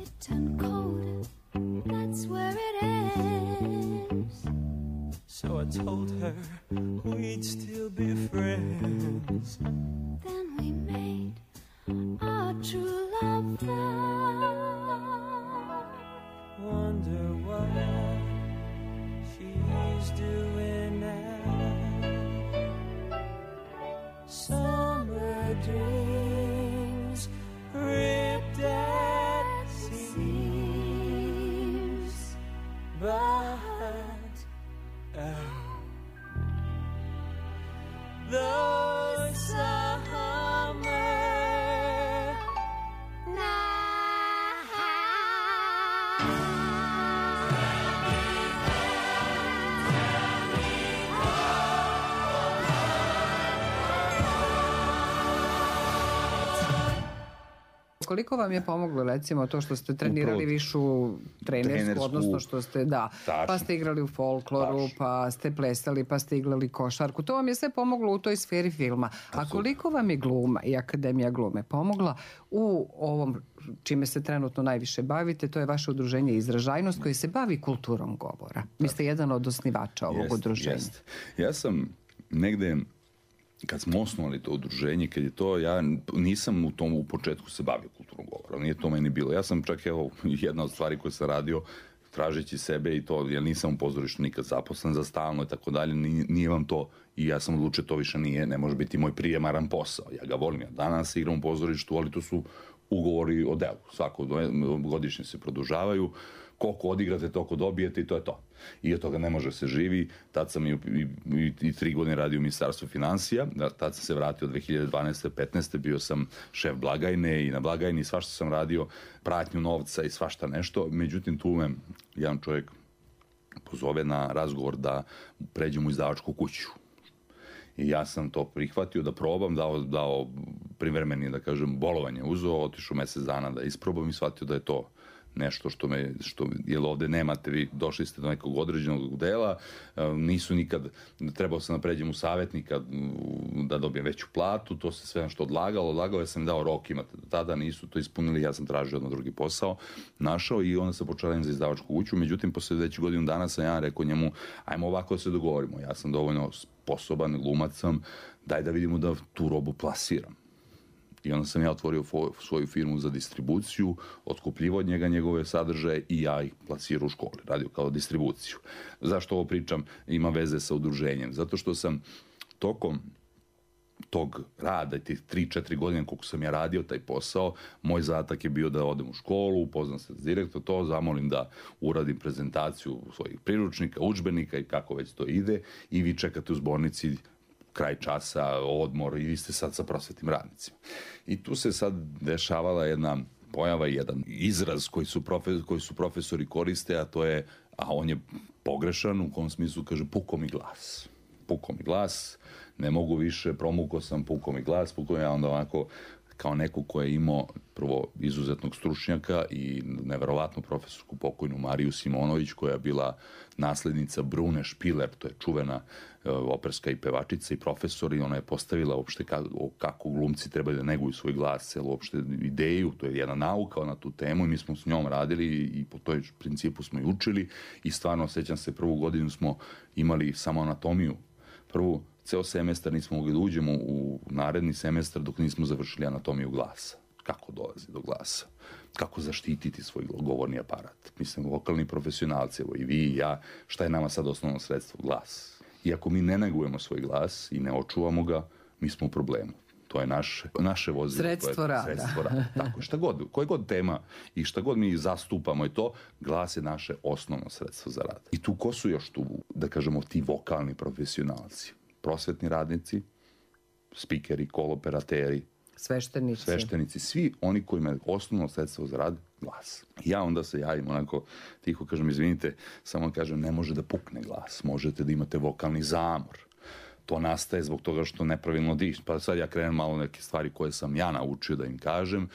it turned cold. That's where it ends. So I told her we'd still be friends. Then we made our true love vow. Wonder what she's doing now. Summer dreams ripped at seams, but those summer Koliko vam je pomoglo recimo to što ste trenirali višu trenersku, odnosno što ste, pa ste igrali u folkloru, pa ste plesali, pa ste igrali košarku. To vam je sve pomoglo u toj sferi filma. A koliko vam je gluma i Akademija glume pomogla u ovom čime se trenutno najviše bavite, to je vaše udruženje Izražajnost koje se bavi kulturom govora. Vi ste jedan od osnivača ovog udruženja. Ja sam negde, kad smo osnovali to udruženje, kad je to, ja nisam u početku se bavio kulturnom govorom, nije to meni bilo. Ja sam čak, evo, jedna od stvari koje sam radio, tražeći sebe i to, ja nisam u pozorištu nikad zaposlen za stalno i tako dalje, nije vam to, i ja sam odlučio to više ne može biti moj prijemaran posao. Ja ga volim, ja danas igram u pozorištu, ali to su ugovori o delu. Svako godišnje se produžavaju, koliko odigrate, toliko dobijete i to je to. I od toga ne može se živi. Tad sam i 3 godine radio u Ministarstvu finansija, tad sam se vratio 2012. 15. bio sam šef blagajne i na blagajni svašta sam radio, pratnju novca i svašta nešto. Međutim, tu me jedan čovjek pozove na razgovor da pređem u izdavačku kuću. I ja sam to prihvatio da probam, dao privremeni, da kažem, bolovanje uzeo, otišao mjesec dana da isprobam i shvatio da je to nešto jer ovde nemate, vi došli ste do nekog određenog dela, nisu nikad, trebao sam da pređem u savjetnika da dobijem veću platu, to se sve nešto odlagalo, ja sam dao rok, imate do tada, nisu to ispunili, ja sam tražio odmah drugi posao, našao i onda sam počeo za izdavačku kuću, međutim, posle već godinu dana sam ja rekao njemu, ajmo ovako da se dogovorimo, ja sam dovoljno sposoban, glumac sam, daj da vidimo da tu robu plasiram. I onda sam ja otvorio svoju firmu za distribuciju, otkupljivao od njega njegove sadržaje i ja ih plasirao u školi, radio kao distribuciju. Zašto ovo pričam? Ima veze sa udruženjem. Zato što sam tokom tog rada, tih 3-4 godine koliko sam ja radio taj posao, moj zadatak je bio da odem u školu, upoznam se s direktor, to zamolim da uradim prezentaciju svojih priručnika, udžbenika i kako već to ide i vi čekate u zbornici kraj časa, odmor i vi ste sad sa prosvetnim radnicima. I tu se sad dešavala jedna pojava, jedan izraz koji su profesori koriste, a to je, a on je pogrešan, u kom smislu kaže puko mi glas. Puko mi glas, ne mogu više, promukao sam, puko mi glas, ja onda ovako kao neko ko je imao prvo izuzetnog stručnjaka i neverovatnu profesorsku pokojnu Mariju Simonović koja je bila naslednica Brune Špiler, to je čuvena operska i pevačica i profesor i ona je postavila uopšte kako glumci trebaju da neguju svoj glas, celu uopšte ideju, to je jedna nauka na tu temu i mi smo s njom radili i po toj principu smo i učili i stvarno sećam se prvu godinu smo imali samo anatomiju, ceo semestar nismo mogli da uđemo u naredni semestar dok nismo završili anatomiju glasa. Kako dolazi do glasa? Kako zaštititi svoj govorni aparat? Mislim, vokalni profesionalci, evo i vi i ja, šta je nama sad osnovno sredstvo? Glas. I ako mi ne negujemo svoj glas i ne očuvamo ga, mi smo u problemu. To je naše vozilo. Sredstvo rada. Tako, koja god tema i šta god mi zastupamo je to, glas je naše osnovno sredstvo za rad. I tu ko su još tu, da kažemo, ti vokalni profesionalci? Prosvetni radnici, spikeri, koloperateri, sveštenici, svi oni koji imaju osnovno sredstvo za rad, glas. Ja onda se javim onako tiho, kažem, izvinite, samo kažem, ne može da pukne glas, možete da imate vokalni zamor. To nastaje zbog toga što nepravilno diš. Pa sad ja krenem malo neke stvari koje sam ja naučio da im kažem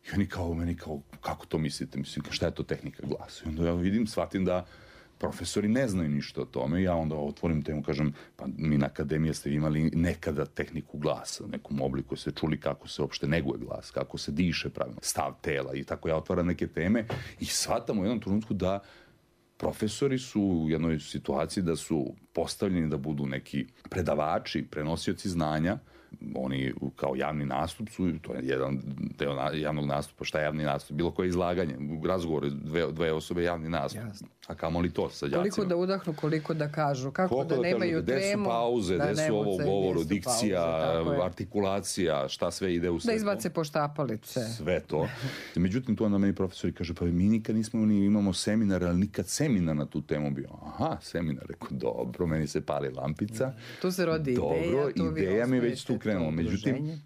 i oni kao, kako to mislite? Mislim, šta je to tehnika glasa? I onda ja vidim, shvatim da profesori ne znaju ništa o tome. Ja onda otvorim temu, kažem, pa mi na akademiji ste imali nekada tehniku glasa, u nekom obliku se čuli kako se uopšte neguje glas, kako se diše pravilno, stav tela i tako ja otvaram neke teme i shvatam u jednom trenutku da profesori su u jednoj situaciji da su postavljeni da budu neki predavači, prenosioci znanja. Oni kao javni nastup su, to je jedan deo javnog nastupa. Šta je javni nastup? Bilo koje izlaganje, razgovor, dve osobe javni nastup. Jasno. A kamoli to sa đacima. Koliko da udahnu, koliko da kažu, kako Koliko da nemaju kažu, gde su tremu. pauze, da gde su ne ovo u mucaju, govoru, gde su dikcija, pauze, tako je. artikulacija, šta sve ide u sve. Da izbace poštapalice. Sve to. Međutim, to onda meni profesori kaže, pa mi nikad nismo, imamo seminar, ali nikad seminar na tu temu bio. Aha, seminar, rekao, dobro, meni se pali lampica. Tu se rodi dobro, ideja. Tu vi ideja mi je već osnujete tu krenula. to Međutim, udruženje.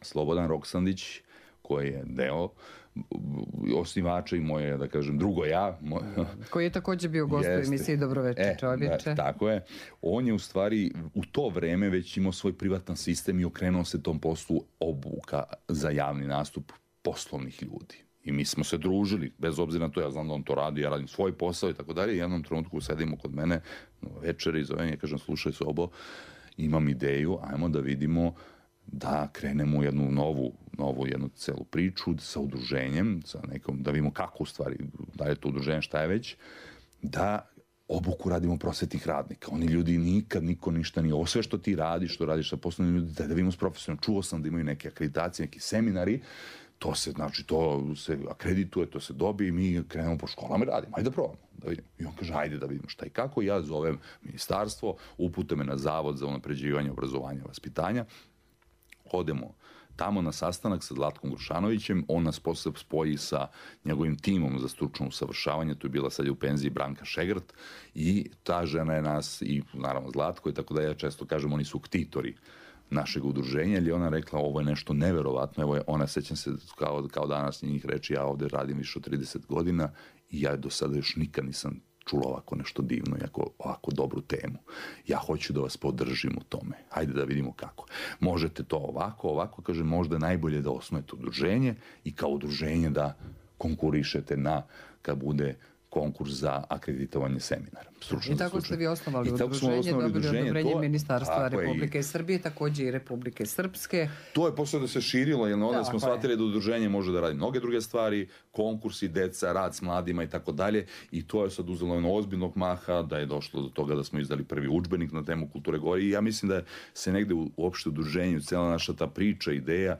Slobodan Roksandić, koji je deo osnivača i moje, da kažem, drugo ja. Koji je također bio gost u emisiji Dobroveče čovječe. Tako je. On je u stvari u to vreme već imao svoj privatan sistem i okrenuo se tom poslu obuka za javni nastup poslovnih ljudi. I mi smo se družili, bez obzira na to, ja znam da on to radi, ja radim svoj posao i tako dalje. I jednom trenutku sedimo kod mene večeri i zovem, ja kažem, slušaj Sobo, imam ideju, ajmo da vidimo da krenemo u jednu novu jednu celu priču sa udruženjem, sa nekom, da vidimo kako u stvari, da je to udruženje, šta je već, da obuku radimo prosvetnih radnika. Oni ljudi nikad, niko ništa nije. Ovo sve što ti radiš, što radiš sa poslovnim ljudima, da vidimo s profesorom. Čuo sam da imaju neke akreditacije, neki seminari, to se, znači, to se akredituje, to se dobije i mi krenemo po školama i radimo. Ajde da probamo, da vidimo. I on kaže, ajde da vidimo šta i kako. Ja zovem ministarstvo, upute me na Zavod za unapređivanje obrazovanja i vaspitanja. Odemo tamo na sastanak sa Zlatkom Grušanovićem, on nas posle spoji sa njegovim timom za stručno usavršavanje, tu je bila sad u penziji Branka Šegrt i ta žena je nas, i naravno Zlatko, i tako da ja često kažem, oni su ktitori našeg udruženja, ali ona rekla, ovo je nešto neverovatno, evo je, ona, sećam se kao danas njih reči, ja ovde radim više od 30 godina i ja do sada još nikad nisam čula ovako nešto divno i ovako dobru temu. Ja hoću da vas podržim u tome. Hajde da vidimo kako. Možete to ovako, kaže, možda najbolje da osnujete udruženje i kao udruženje da konkurišete kad bude konkurs za akreditovanje seminara. I tako ste vi osnovali udruženje, dobili odobrenje Ministarstva Republike Srbije, također i Republike Srpske. To je posle da se širilo, jer onda smo shvatili da udruženje može da radi mnoge druge stvari, konkursi, deca, rad s mladima i tako dalje, i to je sad uzelo jedno ozbiljnog maha, da je došlo do toga da smo izdali prvi udžbenik na temu kulture gore, i ja mislim da se negde uopšte udruženju, cijela naša ta priča, ideja,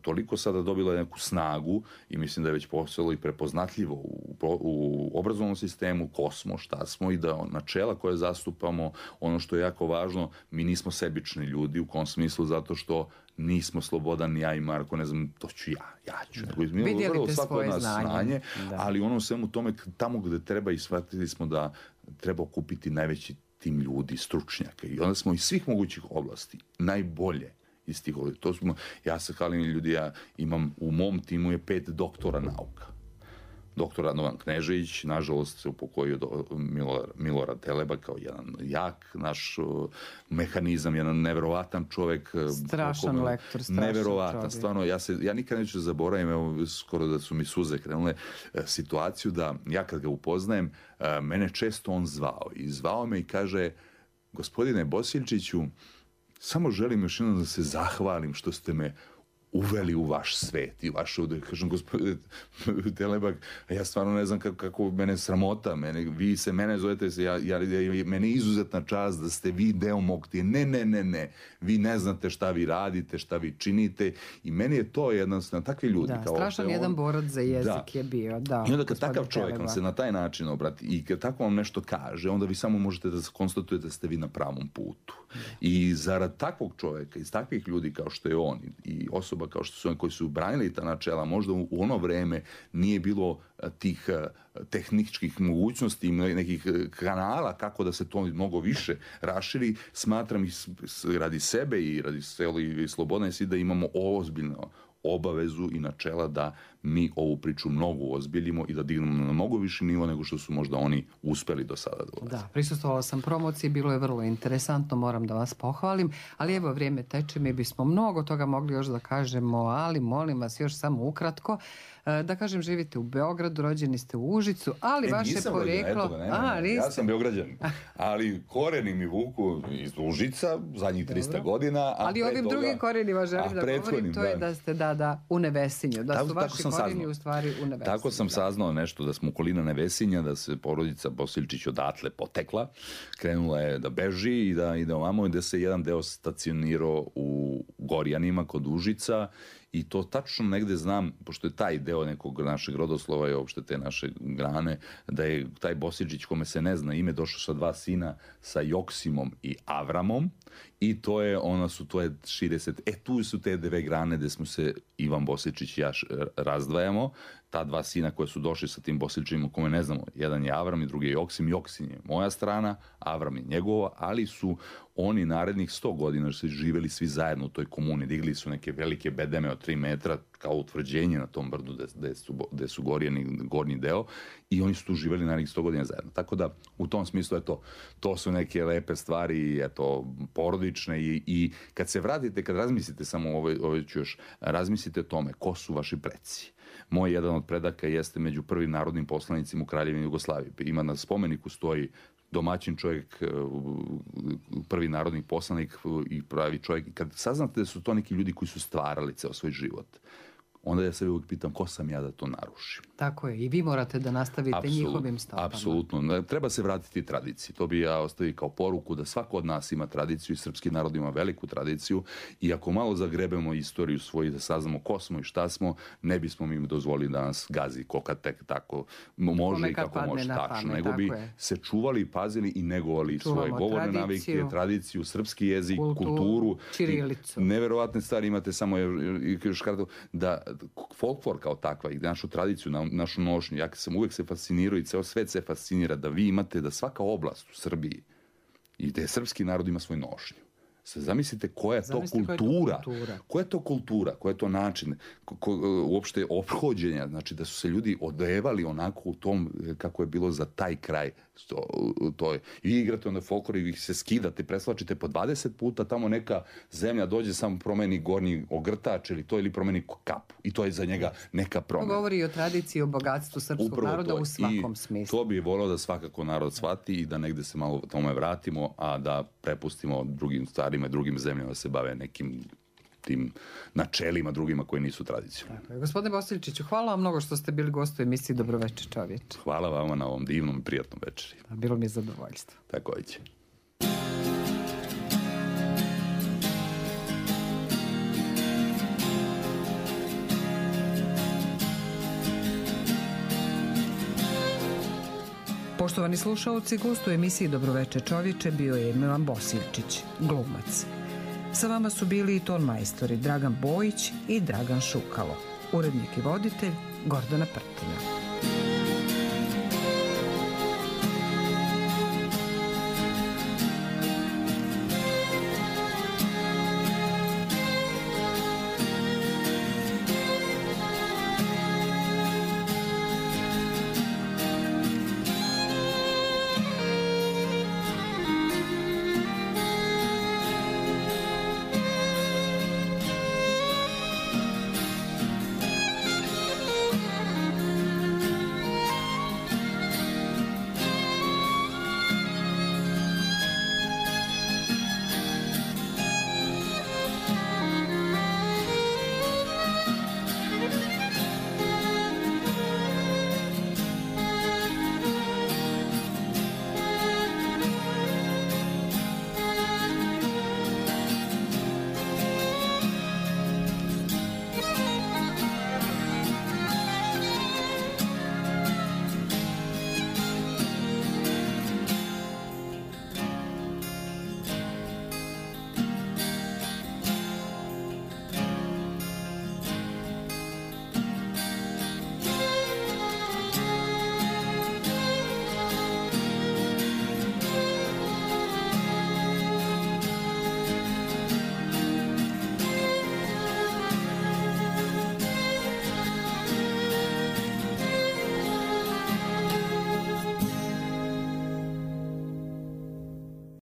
toliko sada dobila neku snagu i mislim da je već postalo i prepoznatljivo u obrazovnom sistemu, ko smo, šta smo, i da načela koje zastupamo, ono što je jako važno, mi nismo sebični ljudi, u kom smislu, zato što nismo Slobodan, ja i Marko, ne znam, to ću ja ću. Vidjeli te svoje znanje. Ali ono svemu tome, tamo gde treba, i shvatili smo da treba okupiti najveći tim ljudi, stručnjaka, i onda smo iz svih mogućih oblasti najbolje iz tih oblasti. To smo, ja se halim ljudi, ja imam, u mom timu je 5 doktora nauka. Doktor Radovan Knežević, nažalost se upokojio do Milorad Teleba kao jedan jak naš mehanizam, jedan neverovatan čovjek. Strašan lektor, strašan neverovatan, čovjek. stvarno, ja nikad neću zaboravim, evo, skoro da su mi suze krenule, situaciju da ja kad ga upoznajem, mene često on zvao. I zvao me i kaže, gospodine Bosiljčiću, samo želim još jednom da se zahvalim što ste me uveli u vaš svet i vaš ovdje, kažem, gospodine Telebak, ja stvarno ne znam kako mene sramota, vi se mene zovete, mene je izuzetna čast da ste vi deo mog tijela. Ne, vi ne znate šta vi radite, šta vi činite, i meni je to jednostavno, takvi ljudi. Da, strašan jedan borac za jezik je bio. Da, i onda kad takav čovjek vam se na taj način obrati i kad tako vam nešto kaže, onda vi samo možete da konstatujete da ste vi na pravom putu. I zarad takvog čovjeka, iz takvih ljudi kao što je on i osoba kao što su oni koji su branili ta načela, možda u ono vreme nije bilo tih tehničkih mogućnosti i nekih kanala kako da se to mnogo više raširi, smatram i radi sebe i radi i Slobodne si da imamo ozbiljno obavezu i načela da mi ovu priču mnogo ozbiljimo i da dignemo na mnogo viši nivo nego što su možda oni uspeli do sada da ulaze. Da, prisustvovala sam promociji, bilo je vrlo interesantno, moram da vas pohvalim, ali evo vrijeme teče, mi bismo mnogo toga mogli još da kažemo, ali molim vas još samo ukratko. Da kažem, živite u Beogradu, rođeni ste u Užicu, ali vaše poreklo... Ja sam Beograđanin, ali koreni mi vuku iz Užica zadnjih 300 godina. Ali ovim drugim korenima želim da govorim, to je da ste u Nevesinju, da su vaši koreni u stvari u Nevesinju. Tako sam saznao nešto, da smo okolina Nevesinja, da se porodica Bosiljčić odatle potekla, krenula je da beži i da ide ovamo, gde se jedan deo stacionirao u Gorjanima kod Užica. I to tačno negde znam, pošto je taj deo nekog našeg rodoslova i uopšte te naše grane, da je taj Bosiljčić, kome se ne zna ime, došao sa 2 sina, sa Joksimom i Avramom, i to je 60. Tu su te 2 grane gde smo se Ivan Bosiljčić i ja razdvajamo. Ta 2 sina koje su došli sa tim Bosiljčima, kome ne znamo, jedan je Avram i drugi je Joksim. Joksim je moja strana, Avram je njegova, ali su oni narednih 100 godina su živeli svi zajedno u toj komuni. Digli su neke velike bedeme od 3 metra kao utvrđenje na tom brdu gde su gornji deo, i oni su tu živeli narednih 100 godina zajedno. Tako da u tom smislu to su neke lepe stvari, porodične, i kad se vratite, kad razmislite samo ovo ću još, razmislite o tome ko su vaši preci. Moj jedan od predaka jeste među prvim narodnim poslanicima u Kraljevini Jugoslaviji. Ima na spomeniku stoji domaćin čovjek, prvi narodni poslanik i pravi čovjek. Kad saznate da su to neki ljudi koji su stvarali ceo svoj život, onda ja se uvijek pitam ko sam ja da to narušim. Tako je, i vi morate da nastavite njihovim stopama. Apsolutno, treba se vratiti tradiciji. To bi ja ostavio kao poruku, da svako od nas ima tradiciju i srpski narod ima veliku tradiciju, i ako malo zagrebemo istoriju svoju, da saznamo ko smo i šta smo, ne bismo mi dozvolili da nas gazi koka tek tako može i kako može tačno. Nego bi se čuvali, pazili i negovali svoje govorne navike, tradiciju, srpski jezik, kulturu. Ćirilicu. Neverovatne stvari imate, samo još kratko, da folklor kao takva i našu tradiciju, našu nošnju, ja sam uvek se fascinirao i ceo svet se fascinira da vi imate, da svaka oblast u Srbiji i da je srpski narod ima svoju nošnju. Zamislite koja je to kultura, koja je to način uopšte ophođenja, znači da su se ljudi odevali onako u tom kako je bilo za taj kraj. I igrate onda folklor i se skidate, preslačite po 20 puta, tamo neka zemlja dođe, samo promeni gornji ogrtač ili promeni kapu, i to je za njega neka promena. To govori o tradiciji, o bogatstvu srpskog naroda u svakom smislu. To bi volio da svakako narod shvati i da negde se malo tome vratimo, a da prepustimo drugim stvarima i drugim zemljama da se bave nekim tim načelima drugima koji nisu tradicionalni. Gospodine Bosiljčiću, hvala vam mnogo što ste bili gost u emisiji Dobroveče čovječe. Hvala vama na ovom divnom i prijatnom večeri. Bilo mi je zadovoljstvo. Tako će. Poštovani slušalci, gost u emisiji Dobroveče čovječe bio je Milan Bosiljčić, glumac. Sa vama su bili i ton majstori Dragan Bojić i Dragan Šukalo. Urednik i voditelj Gordana Prtina.